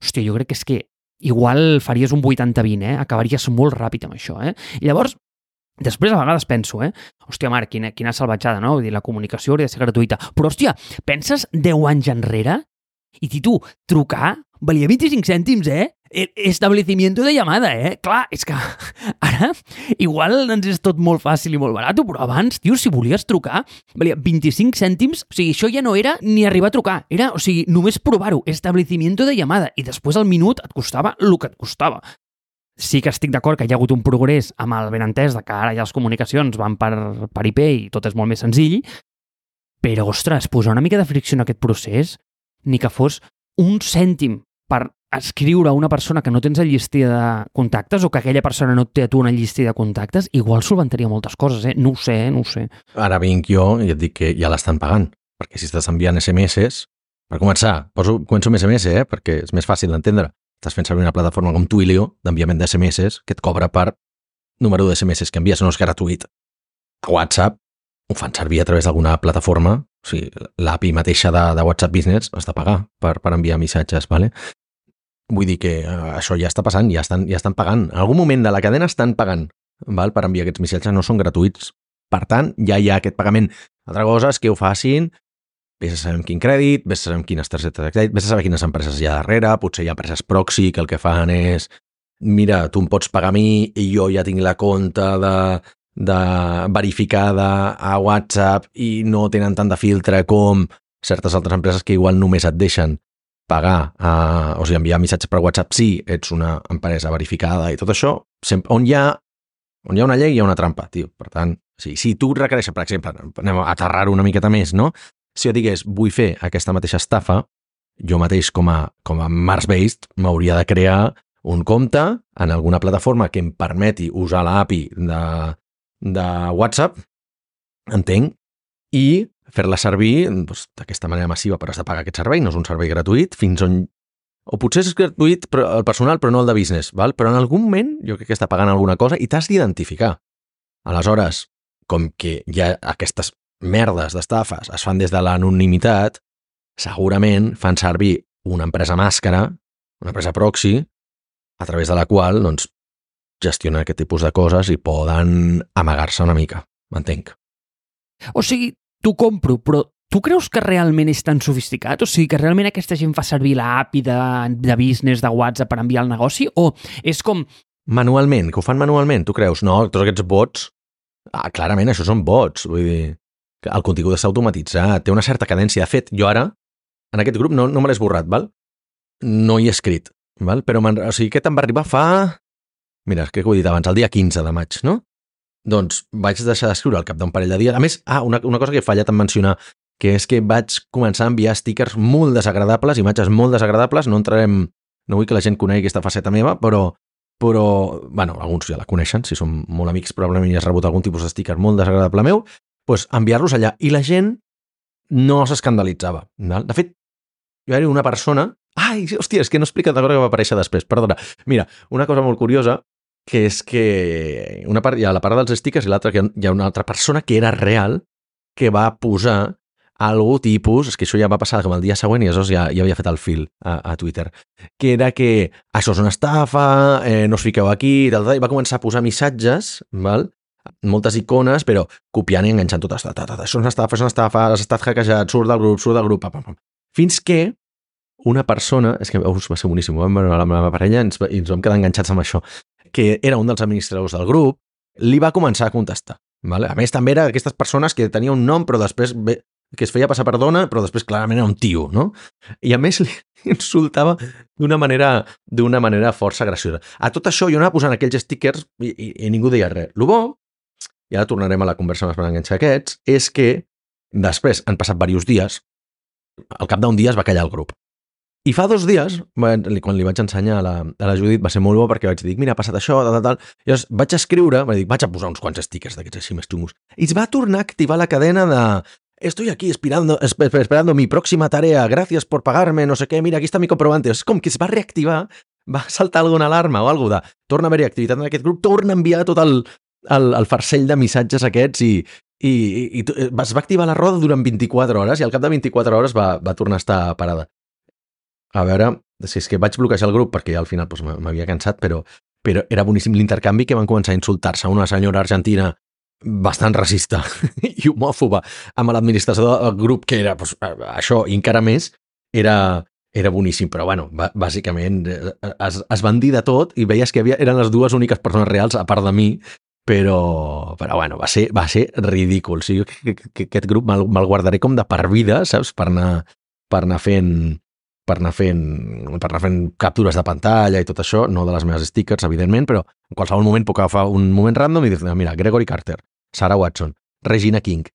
hòstia, jo crec que és que igual faries un vuitanta vint, eh? Acabaries molt ràpid amb això, eh? I llavors, després a vegades penso, eh? Hòstia, Marc, quina, quina salvatjada, no? Vull dir, la comunicació hauria de ser gratuïta. Però, hòstia, penses deu anys enrere? I ti tu, trucar valia vint-i-cinc cèntims, eh? Establecimiento de llamada, eh? Clar, és que ara igual ens és tot molt fàcil i molt barat, però abans, tio, si volies trucar, valia vint-i-cinc cèntims, o sigui, això ja no era ni arribar a trucar, era, o sigui, només provar-ho, establecimiento de llamada, i després al minut et costava el que et costava. Sí que estic d'acord que hi ha hagut un progrés amb el benentès de que ara ja les comunicacions van per, per I P i tot és molt més senzill, però, ostres, posar una mica de fricció en aquest procés, ni que fos un cèntim per escriure a una persona que no tens el llistí de contactes o que aquella persona no et té a tu en el llistí de contactes, igual solventaria moltes coses, eh? No ho sé, eh? No ho sé. Ara vinc jo i et dic que ja l'estan pagant, perquè si estàs enviant S M S, per començar, poso, començo amb S M S, eh? Perquè és més fàcil d'entendre. Estàs fent servir una plataforma com Twilio d'enviament d'S M S que et cobra per número d'S M S que envies, no és gratuït. A WhatsApp ho fan servir a través d'alguna plataforma, o sigui, l'A P I mateixa de, de WhatsApp Business has de pagar per, per enviar missatges, ¿vale? Vull dir que uh, això ja està passant, ja estan, ja estan pagant. En algun moment de la cadena estan pagant, val? Per enviar aquests missatges, no són gratuïts. Per tant, ja hi ha aquest pagament. Altra cosa és que ho facin, vés a saber amb quin crèdit, vés a saber amb quines targetes de crèdit, vés a saber quines empreses hi ha darrere, potser hi ha empreses proxy que el que fan és mira, tu em pots pagar a mi i jo ja tinc la compte de, de verificada a WhatsApp i no tenen tant de filtre com certes altres empreses que igual només et deixen pagar, uh, o sigui, enviar missatges per WhatsApp si ets una empresa verificada i tot això, sempre, on, hi ha, on hi ha una llei hi ha una trampa, tio. Per tant, sí, si tu requereixes, per exemple, anem a aterrar-ho una miqueta més, no? Si jo digués, vull fer aquesta mateixa estafa, jo mateix com a, com a Mars-based m'hauria de crear un compte en alguna plataforma que em permeti usar l'A P I de, de WhatsApp, entenc, i fer-la servir doncs, d'aquesta manera massiva, però has de pagar aquest servei, no és un servei gratuït, fins on... O potser és gratuït però, el personal, però no el de business, val? Però en algun moment jo crec que està pagant alguna cosa i t'has d'identificar. Aleshores, com que hi ha aquestes merdes d'estafes es fan des de l'anonimitat, segurament fan servir una empresa màscara, una empresa proxy, a través de la qual doncs, gestionen aquest tipus de coses i poden amagar-se una mica, m'entenc. O sigui, t'ho compro, però tu creus que realment és tan sofisticat? O sigui, que realment aquesta gent fa servir la A P I de, de business, de WhatsApp per enviar el negoci? O és com... Manualment, que ho fan manualment, tu creus? No, tots aquests bots... Ah, clarament, això són bots, vull dir... Que el contingut està automatitzat, té una certa cadència. De fet, jo ara, en aquest grup, no, no me l'he esborrat, val? No hi he escrit, val? Però, o sigui, aquest em va arribar fa... Mira, crec que ho he dit abans, el dia quinze de maig, no? Doncs vaig deixar d'escriure al cap d'un parell de dies. A més, ah, una, una cosa que he fallat en mencionar, que és que vaig començar a enviar stickers molt desagradables, imatges molt desagradables, no entrarem, no vull que la gent conegui aquesta faceta meva, però, però bueno, alguns ja la coneixen, si som molt amics probablement ja has rebut algun tipus de sticker molt desagradable meu, doncs enviar-los allà. I la gent no s'escandalitzava. De fet, jo era una persona... Ai, hòstia, és que no he explicat la cosa que va aparèixer després, perdona. Mira, una cosa molt curiosa, que és que una part, hi ha la part dels stickers i l'altra que hi ha una altra persona que era real que va posar algú tipus, és que això ja va passar com el dia següent i aleshores ja, ja havia fet el fil a, a Twitter, que era que això és una estafa, eh, no us fiqueu aquí, tal, tal, i va començar a posar missatges, val? Moltes icones, però copiant i enganxant tot. Ta, ta, ta, això és una estafa, és una estafa, has estat hackejat, surt del grup, surt del grup, pam, pam, pam. Fins que una persona, és que us va ser boníssim, vam veure la meva parella i ens, i ens vam quedar enganxats amb això, que era un dels administradors del grup, li va començar a contestar. Vale? A més, també era d'aquestes persones que tenia un nom, però després que es feia passar per dona, però després clarament era un tio, no? I a més li insultava d'una manera, d'una manera força graciosa. A tot això jo anava posant aquells stickers i, i, i ningú deia res. Lo bo, i ara tornarem a la conversa més per enganxar aquests, és que després han passat diversos dies al cap d'un dia es va callar el grup. I fa dos dies, quan li vaig ensenyar a la, a la Judit, va ser molt bo perquè vaig dir, mira, ha passat això, tal, tal, tal. I llavors vaig escriure, vaig dir, vaig a posar uns quants stickers d'aquests així més xungos. I es va tornar a activar la cadena de estoy aquí esperando, esperando mi próxima tarea, gracias por pagarme, no sé què, mira, aquí està mi comprobante. És com que es va reactivar, va saltar alguna alarma o alguna de torna a haver-hi activitat en aquest grup, torna a enviar tot el, el, el farcell de missatges aquests i, i, i, i es va activar la roda durant vint-i-quatre hores i al cap de vint-i-quatre hores va, va tornar a estar parada. A veure, si és que vaig bloquejar el grup perquè al final doncs, m'havia cansat, però, però era boníssim l'intercanvi que van començar a insultar-se a una senyora argentina bastant racista i homòfoba amb l'administrador del grup, que era doncs, això i encara més, era, era boníssim. Però, bueno, bàsicament es, es van dir de tot i veies que havia, eren les dues úniques persones reals, a part de mi, però, però bueno, va ser, va ser ridícul. O sigui, que, que, que aquest grup me'l, me'l guardaré com de per vida, saps? Per anar, per anar fent... per anar fent per anar fent captures de pantalla i tot això, no de les meves stickers, evidentment, però en qualsevol moment puc agafar un moment random i dir, mira, Gregory Carter, Sarah Watson, Regina King,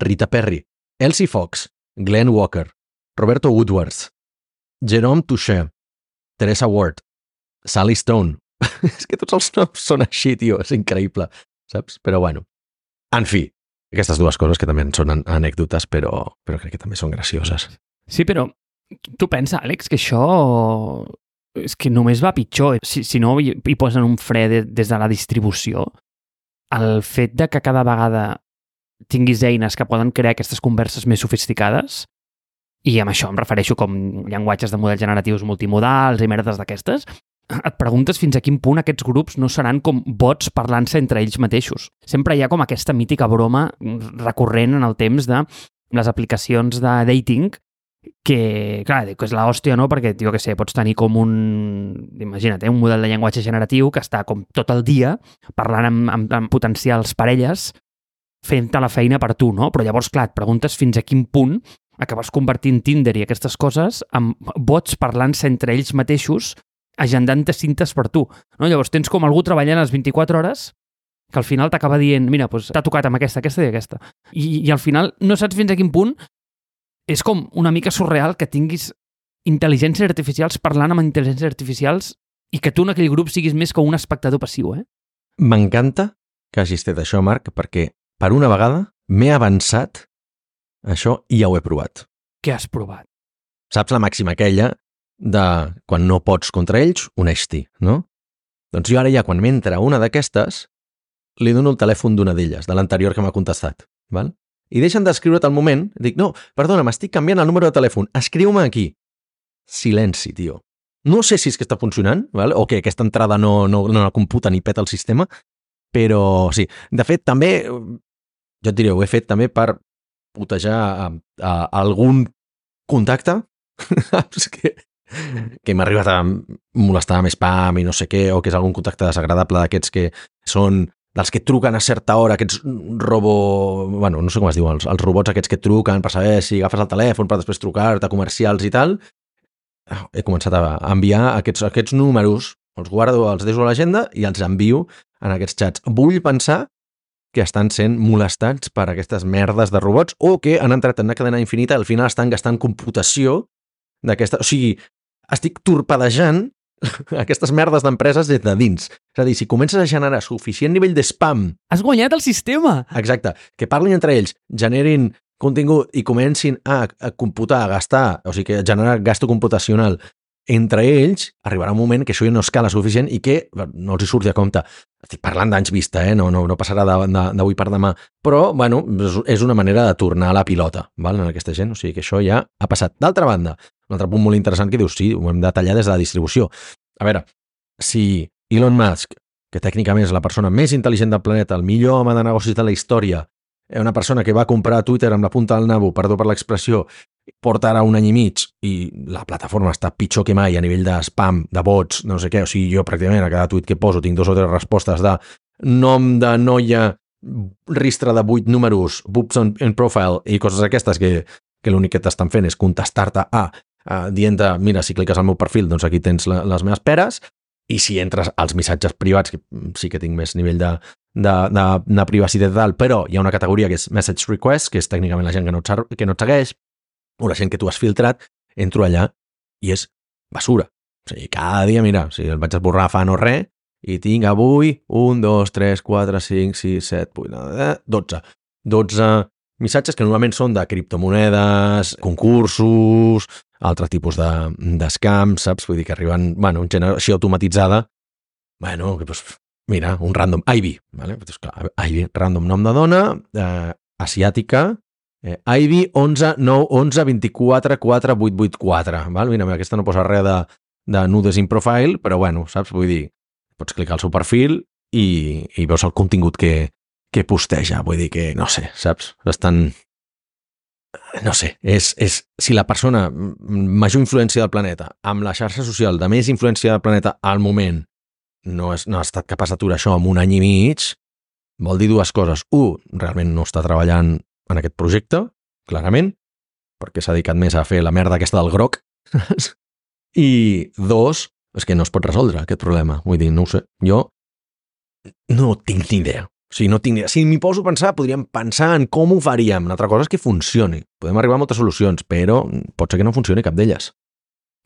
Rita Perry, Elsie Fox, Glenn Walker, Roberto Woodworth, Jerome Touché, Teresa Ward, Sally Stone. És que tots els noms són així, tio, és increïble, saps? Però bueno, en fi, aquestes dues coses que també són anècdotes, però, però crec que també són gracioses. Sí, però tu pensa, Àlex, que això és que només va pitjor. Si, si no hi, hi posen un fre de, des de la distribució, el fet de que cada vegada tinguis eines que poden crear aquestes converses més sofisticades, i amb això em refereixo com llenguatges de models generatius multimodals i merdes d'aquestes, et preguntes fins a quin punt aquests grups no seran com bots parlant-se entre ells mateixos. Sempre hi ha com aquesta mítica broma recurrent en el temps de les aplicacions de dating que, clar, que és l'hòstia, no? Perquè, jo què sé, pots tenir com un... Imagina't, eh? un model de llenguatge generatiu que està com tot el dia parlant amb, amb, amb potencials parelles fent-te la feina per tu, no? Però llavors, clar, et preguntes fins a quin punt acabes convertint Tinder i aquestes coses amb bots parlant-se entre ells mateixos agendant-te cintes per tu, no? Llavors tens com algú treballant les vint-i-quatre hores que al final t'acaba dient, mira, doncs t'ha tocat amb aquesta, aquesta i aquesta. I, i al final no saps fins a quin punt és com una mica surreal que tinguis intel·ligències artificials parlant amb intel·ligències artificials i que tu en aquell grup siguis més com un espectador passiu, eh? M'encanta que hagis fet això, Marc, perquè per una vegada m'he avançat això i ja ho he provat. Què has provat? Saps la màxima aquella de quan no pots contra ells, uneix-t'hi, no? Doncs jo ara ja, quan m'entra una d'aquestes, li dono el telèfon d'una d'elles, de l'anterior que m'ha contestat, val? I deixen d'escriure't al moment, dic, no, perdona, m'estic canviant el número de telèfon, escriu-me aquí. Silenci, tio. No sé si és que està funcionant, val? O que aquesta entrada no, no, no la computa ni peta el sistema, però sí. De fet, també, jo et diré, ho he fet també per putejar a, a, a algun contacte que, que m'ha arribat a molestar amb spam i no sé què, o que és algun contacte desagradable d'aquests que són dels que truquen a certa hora, aquests robo... Bueno, no sé com es diu, els, els robots aquests que truquen per saber si agafes el telèfon per després trucar-te, comercials i tal. He començat a enviar aquests, aquests números, els guardo, els deixo a l'agenda i els envio en aquests xats. Vull pensar que estan sent molestats per aquestes merdes de robots o que han entrat en una cadena infinita i al final estan gastant computació d'aquesta... O sigui, estic torpedejant aquestes merdes d'empreses des de dins. És a dir, si comences a generar suficient nivell de spam... Has guanyat el sistema! Exacte. Que parlin entre ells, generin contingut i comencin a, a computar, a gastar, o sigui, que generar gasto computacional entre ells, arribarà un moment que això ja no escala suficient i que no els hi surti a compte. Estic parlant d'anys vista, eh? no, no, no passarà d'avui per demà. Però, bueno, és una manera de tornar a la pilota, val? En aquesta gent. O sigui que això ja ha passat. D'altra banda, un altre punt molt interessant que dius, sí, ho hem de tallar des de la distribució. A veure, si Elon Musk, que tècnicament és la persona més intel·ligent del planeta, el millor home de negocis de la història, una persona que va comprar Twitter amb la punta del nabo, perdó per l'expressió, porta ara un any i mig i la plataforma està pitjor que mai a nivell de spam, de bots, no sé què, o sigui, jo pràcticament a cada tuit que poso tinc dos o tres respostes de nom de noia, ristre de vuit números, boobs on, in profile i coses aquestes que, que l'únic que t'estan fent és contestar-te a, a dient-te, mira, si cliques al meu perfil, doncs aquí tens la, les meves peres, i si entres als missatges privats, que sí que tinc més nivell de, de, de, de privacitat tal, però hi ha una categoria que és message request, que és tècnicament la gent que no et, que no et segueix, o la gent que tu has filtrat, entro allà i és basura. O sigui, cada dia, mira, si el vaig esborrar fa no res, i tinc avui un, dos, tres, quatre, cinc, sis, set, vuit, dotze. dotze missatges que normalment són de criptomonedes, concursos, altre tipus de, d'escams, saps? Vull dir que arriben, bueno, en generació automatitzada, bueno, que, pues, mira, un random, Ivy, vale? Pues, clar, Ivy, random nom de dona, eh, asiàtica, eh, Ivy onze nou onze vint-i-quatre quatre vuit vuit quatre, val? Mira, aquesta no posa res de, de nudes in profile, però bueno, saps? Vull dir, pots clicar al seu perfil i, i veus el contingut que, que posteja. Vull dir que, no sé, saps? Bastant... No sé, és, és si la persona major influència del planeta amb la xarxa social de més influència del planeta al moment no, és, no ha estat capaç d'aturar això en un any i mig, vol dir dues coses. Un, realment no està treballant en aquest projecte, clarament, perquè s'ha dedicat més a fer la merda aquesta del groc. I dos, és que no es pot resoldre aquest problema. Vull dir, no ho sé, jo no tinc ni idea. O sigui, no tinc ni idea. Si m'hi poso a pensar, podríem pensar en com ho faríem. Una altra cosa és que funcioni. Podem arribar a moltes solucions, però pot ser que no funcioni cap d'elles.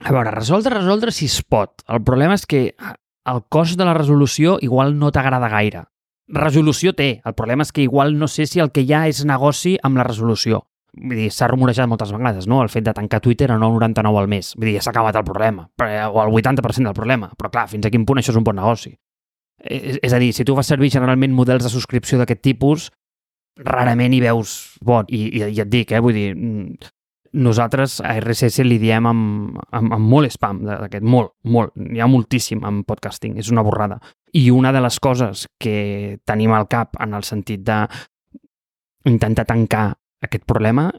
A veure, resoldre, resoldre si es pot. El problema és que el cost de la resolució igual no t'agrada gaire. Resolució té. El problema és que igual no sé si el que hi ha és negoci amb la resolució. Vull dir, s'ha rumorejat moltes vegades, no?, el fet de tancar Twitter a nou coma noranta-nou al mes. Vull dir, ja s'ha acabat el problema, o el vuitanta per cent del problema. Però clar, fins a quin punt això és un bon negoci? És, és a dir, si tu fas servir generalment models de subscripció d'aquest tipus, rarament hi veus bon. I, i, i et dic, eh, vull dir, nosaltres a R S S li diem amb, amb, amb molt spam d'aquest, molt, molt. Hi ha moltíssim en podcasting, és una borrada. I una de les coses que tenim al cap en el sentit de intentar tancar aquest problema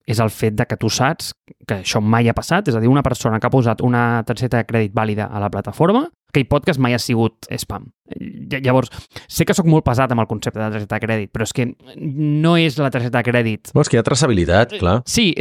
és el fet de que tu saps que això mai ha passat, és a dir, una persona que ha posat una targeta de crèdit vàlida a la plataforma, aquell podcast mai ha sigut spam. Llavors, sé que sóc molt pesat amb el concepte de targeta de crèdit, però és que no és la targeta de crèdit. Bueno, és que hi ha traçabilitat, clar. Sí.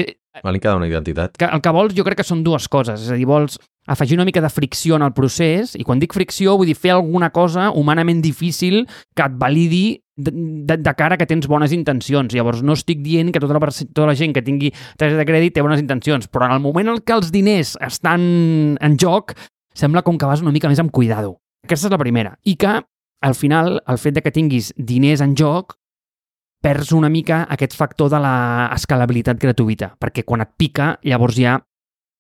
Val que ha una identitat. Que el que vols jo crec que són dues coses, és a dir, vols afegir una mica de fricció en el procés, i quan dic fricció vull dir fer alguna cosa humanament difícil que et validi de, de, de cara que tens bones intencions. Llavors no estic dient que tota la, tota la gent que tingui targeta de crèdit té bones intencions, però en el moment en què els diners estan en joc, sembla com que vas una mica més amb cuidado. Aquesta és la primera. I que, al final, el fet de que tinguis diners en joc perds una mica aquest factor de l'escalabilitat gratuïta, perquè quan et pica, llavors ja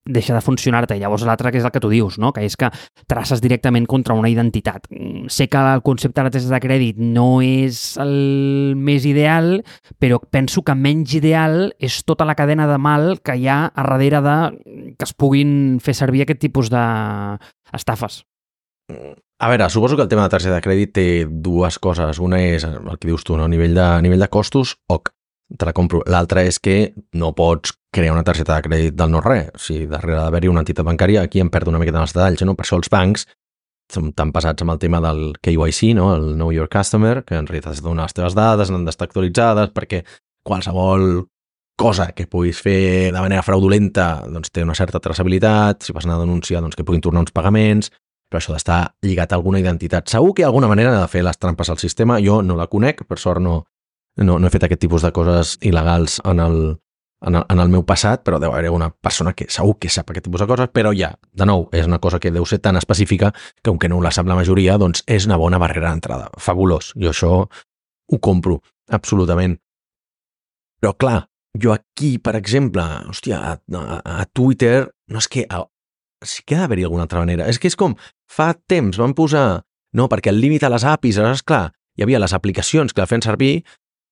deixa de funcionar-te. I llavors l'altre que és el que tu dius, no?, que és que traces directament contra una identitat. Sé que el concepte de la targeta de crèdit no és el més ideal, però penso que menys ideal és tota la cadena de mal que hi ha a darrere de que es puguin fer servir aquest tipus d'estafes. A veure, suposo que el tema de targeta de crèdit té dues coses. Una és el que dius tu, no? A nivell de, a nivell de costos, ok, te la compro. L'altra és que no pots crear una targeta de crèdit del no-res. O sigui, darrere d'haver-hi una entitat bancària, aquí em perdo una miqueta en els detalls, no? Per això els bancs són tan pesats amb el tema del K Y C, no? El Know Your Customer, que en realitat has de donar les teves dades, han d'estar actualitzades, perquè qualsevol cosa que puguis fer de manera fraudulenta doncs té una certa traçabilitat, si vas anar a denunciar doncs que puguin tornar uns pagaments, però això d'estar lligat a alguna identitat. Segur que hi ha alguna manera de fer les trampes al sistema, jo no la conec, per sort no, no, no he fet aquest tipus de coses il·legals en el, en el, en el meu passat, però deu haver una persona que segur que sap aquest tipus de coses, però ja, de nou, és una cosa que deu ser tan específica que, aunque no la sap la majoria, doncs és una bona barrera d'entrada. Fabulós, jo això ho compro, absolutament. Però clar, jo aquí, per exemple, hòstia, a, a, a Twitter, no és que... A, sí que ha d'haver-hi alguna altra manera. És que és com, fa temps van posar... No, perquè el límit a les A P Is, és clar, hi havia les aplicacions que la feien servir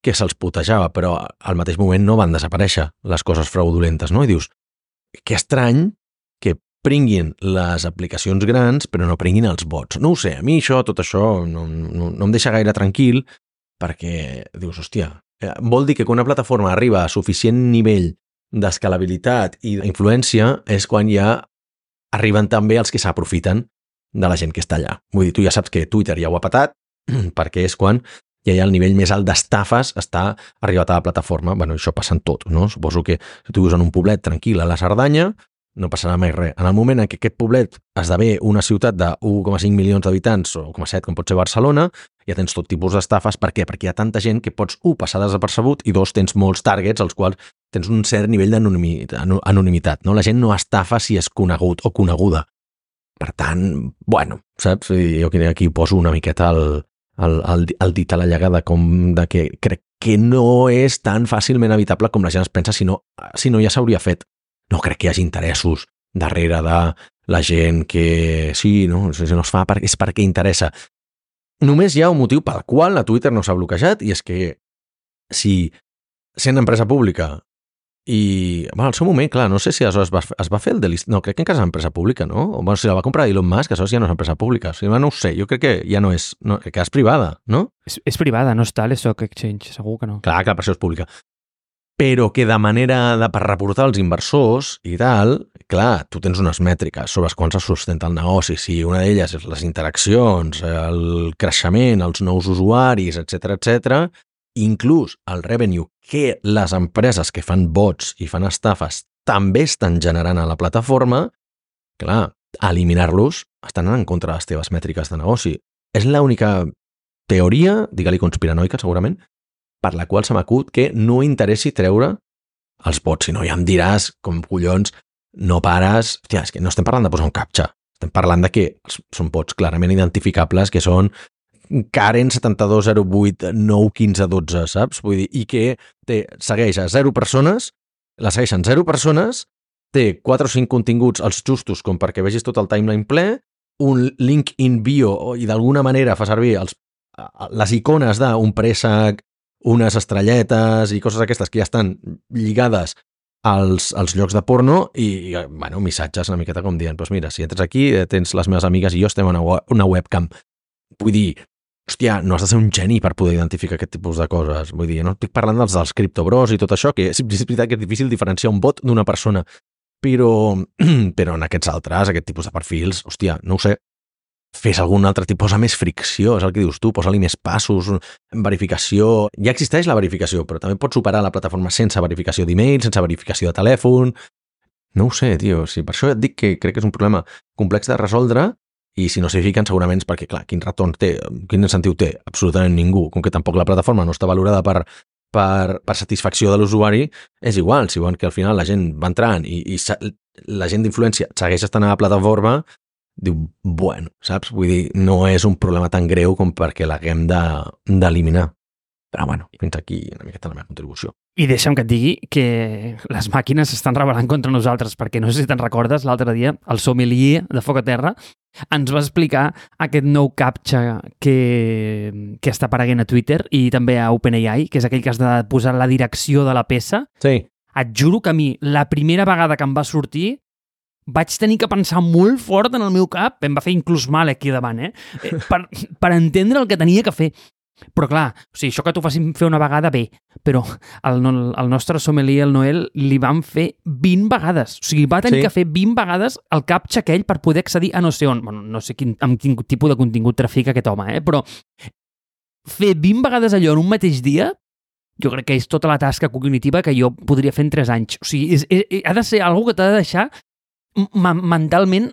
que se'ls putejava, però al mateix moment no van desaparèixer les coses fraudulentes, no? I dius, que estrany que prenguin les aplicacions grans però no prenguin els bots. No ho sé, a mi això, tot això, no, no, no em deixa gaire tranquil, perquè dius, hòstia, vol dir que quan una plataforma arriba a suficient nivell d'escalabilitat i d'influència és quan ja arriben també els que s'aprofiten de la gent que està allà. Vull dir, tu ja saps que Twitter ja ho ha patat, perquè és quan ja hi ha el nivell més alt d'estafes està arribat a la plataforma. Bueno, això passa en tot, no? Suposo que si tu vius en un poblet tranquil a la Cerdanya, no passarà mai res. En el moment en què aquest poblet esdevé una ciutat de u coma cinc milions d'habitants o u coma set, com pot ser Barcelona, ja tens tot tipus d'estafes. Per què? Perquè hi ha tanta gent que pots, u, passar desapercebut i dos, tens molts targets als quals tens un cert nivell d'anonimitat, no? La gent no estafa si és conegut o coneguda. Per tant, bueno, saps? Jo aquí poso una miqueta el, el, el, el dit a la llaga de com de que crec que no és tan fàcilment evitable com la gent es pensa, si no, si no ja s'hauria fet. No crec que hi hagi interessos darrere de la gent que sí, no, si no es fa perquè, és perquè interessa. Només hi ha un motiu pel qual a Twitter no s'ha bloquejat i és que si sent empresa pública i bueno, al seu moment, clar, no sé si es va, es va fer el delist... No, crec que encara és empresa pública, no? O bueno, si la va comprar Elon Musk, això ja no és empresa pública. O sigui, no ho sé, jo crec que ja no és... No, que és privada, no? És, és privada, no està a l'Stock Exchange, segur que no. Clar, clar, per això és pública. Però que de manera de per reportar als inversors i tal, clar, tu tens unes mètriques sobre les quals es sustenta el negoci. Si una d'elles és les interaccions, el creixement, els nous usuaris, etcètera, etcètera, inclús el revenue que les empreses que fan bots i fan estafes també estan generant a la plataforma, clar, eliminar-los estan en contra de les teves mètriques de negoci. És l'única teoria, digue-li conspiranoica segurament, per la qual se m'acut que no interessi treure els bots, si no ja em diràs com collons no pares... Hòstia, és que no estem parlant de posar un captcha, estem parlant de que són bots clarament identificables, que són Karen setanta-dos zero vuit nou quinze dotze, saps? Vull dir, i que té, segueix a zero persones, la segueixen zero persones, té quatre o cinc continguts els justos com perquè vegis tot el timeline ple, un link in bio i d'alguna manera fa servir els, les icones d'un préssec, unes estrelletes i coses aquestes que ja estan lligades als, als llocs de porno i, bueno, missatges una miqueta com dient, doncs mira, si entres aquí tens les meves amigues i jo estem en una, una webcam. Vull dir, hòstia, no has de ser un geni per poder identificar aquest tipus de coses. Vull dir, no estic parlant dels, dels criptobros i tot això, que és, és veritat que és difícil diferenciar un bot d'una persona, però, però en aquests altres, aquest tipus de perfils, hòstia, no ho sé, fes algun altre tipus, posa més fricció, és el que dius tu, posa-li més passos, verificació... Ja existeix la verificació, però també pots superar la plataforma sense verificació d'email, sense verificació de telèfon... No ho sé, tio, sí, per això et dic que crec que és un problema complex de resoldre i si no s'hi fiquen segurament és perquè, clar, quin retorn té, quin incentiu té? Absolutament ningú. Com que tampoc la plataforma no està valorada per, per, per satisfacció de l'usuari, és igual, si volen que al final la gent va entrant i, i la gent d'influència segueix estant a la plataforma, diu, bueno, saps? Vull dir, no és un problema tan greu com perquè l'haguem d'eliminar. Però bueno, fins aquí una miqueta la meva contribució. I deixa'm que et digui que les màquines s'estan rebel·lant contra nosaltres, perquè no sé si te'n recordes, l'altre dia el sommelier de Foc a Terra ens va explicar aquest nou captcha que, que està apareguent a Twitter i també a OpenAI, que és aquell que has de posar la direcció de la peça. Sí. Et juro que a mi, la primera vegada que em va sortir, vaig tenir que pensar molt fort en el meu cap, em va fer inclús mal aquí davant, eh? per, per entendre el que tenia que fer. Però clar, o sigui, això que t'ho facin fer una vegada, bé, però el, el nostre sommelier, el Noel, li van fer vint vegades. O sigui, va tenir sí. que fer vint vegades el captcha aquell per poder accedir a no sé on. Bueno, no sé quin, amb quin tipus de contingut trafica aquest home, eh? Però fer vint vegades allò en un mateix dia, jo crec que és tota la tasca cognitiva que jo podria fer en tres anys. O sigui, és, és, ha de ser algo que t'ha de deixar mentalment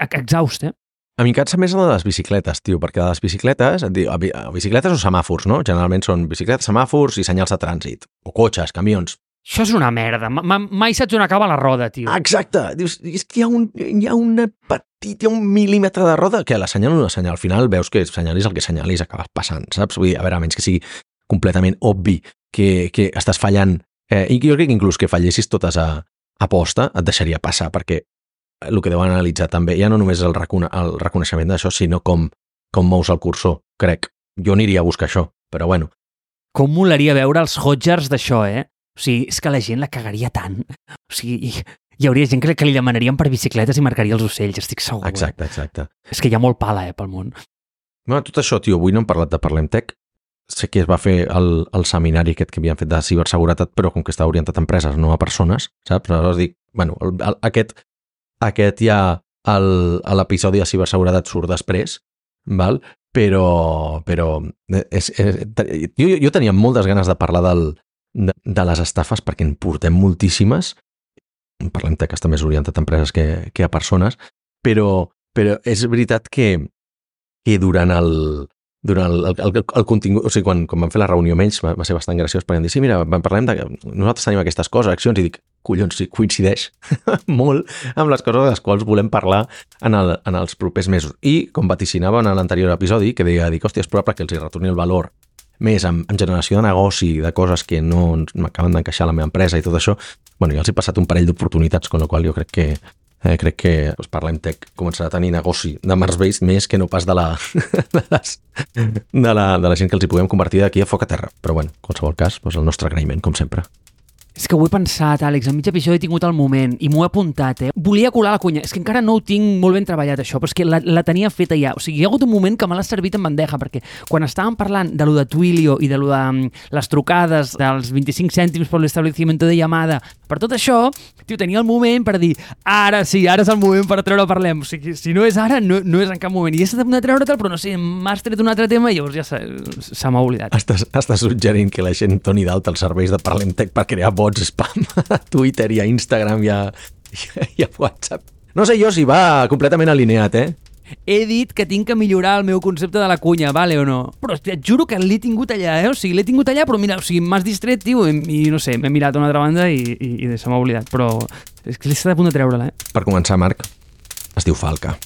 exhaust, eh? A mi em cansa més la de les bicicletes, tio, perquè de les bicicletes, bicicletes o semàfors, no? Generalment són bicicletes, semàfors i senyals de trànsit, o cotxes, camions. Això és una merda. Mai saps on acaba la roda, tio. Exacte. Dius, és que hi ha un, hi ha una petit, hi ha un mil·límetre de roda que la senyal o no la senyal. Al final veus que senyalis el que senyalis acabes passant, saps? Vull dir, a veure, a menys que sigui completament obvi que, que estàs fallant, eh, i jo crec que inclús que fallessis totes a, a posta et deixaria passar, perquè el que deuen analitzar també, ja no només el, recone el reconeixement d'això, sinó com, com mous el cursor, crec. Jo aniria a buscar això, però bueno. Com molaria veure els Hodgers d'això, eh? O sigui, és que la gent la cagaria tant. O sigui, hi hauria gent que, que li demanarien per bicicletes i marcaria els ocells, estic segur. Exacte, eh? exacte. És que hi ha molt pala, eh, pel món. Bueno, tot això, tio, avui no hem parlat de Parlem Tech. Sé que es va fer el, el seminari aquest que havien fet de ciberseguretat, però com que està orientat a empreses, no a persones, saps? Aleshores dic, bueno, el, el, aquest... Aquest ja, l'episodi de ciberseguretat surt després, val? Però, però és, és, jo, jo tenia moltes ganes de parlar del, de, de les estafes perquè en portem moltíssimes. Parlem que està més orientat a empreses que, que a persones, però, però és veritat que, que durant, el, durant el, el, el, el contingut, o sigui, quan, quan vam fer la reunió amb ells va, va ser bastant graciós perquè em dir, sí, mira, parlem de... Nosaltres tenim aquestes coses, accions, i dic, collons, sí, coincideix molt amb les coses de les quals volem parlar en, el, en els propers mesos. I, com vaticinava en l'anterior episodi, que deia, dic, hòstia, és probable que els hi retorni el valor més en, en generació de negoci, de coses que no m'acaben d'encaixar a la meva empresa i tot això, bueno, ja els he passat un parell d'oportunitats, con la qual jo crec que Eh, crec que doncs, Parlem Tech començarà a tenir negoci de Mars Base més que no pas de la, de, les, de, la, de la gent que els hi puguem convertir d'aquí a foc a terra. Però bueno, en qualsevol cas, doncs el nostre agraïment, com sempre. És que ho he pensat, Àlex, en mig episodi he tingut el moment i m'ho he apuntat, eh? Volia colar la cunya, és que encara no ho tinc molt ben treballat això, però és que la, la tenia feta ja. O sigui, hi ha hagut un moment que me l'ha servit en bandeja, perquè quan estàvem parlant de lo de Twilio i de lo de um, les trucades dels vint-i-cinc cèntims per l'establecimiento de llamada, per tot això, tio, tenia el moment per dir, ara sí, ara és el moment per treure Parlem. O sigui, si no és ara, no, no és en cap moment. I he estat de treure-te'l, però no sé, m'has tret un altre tema i llavors ja se, se m'ha oblidat. Estàs, estàs suggerint que la gent doni d'alta els serveis de Parlem Tech per crear bots spam a Twitter i a Instagram i a, i a WhatsApp. No sé jo si va completament alineat, eh? He dit que tinc que millorar el meu concepte de la cunya, vale o no? Però et juro que l'he tingut allà, eh? O sigui, l'he tingut allà, però mira, o sigui, m'has distret, tio, i, i no sé, m'he mirat a una altra banda i, i, i se m'ha oblidat, però és que l'he estat a punt de treure-la, eh? Per començar, Marc, es diu Falca.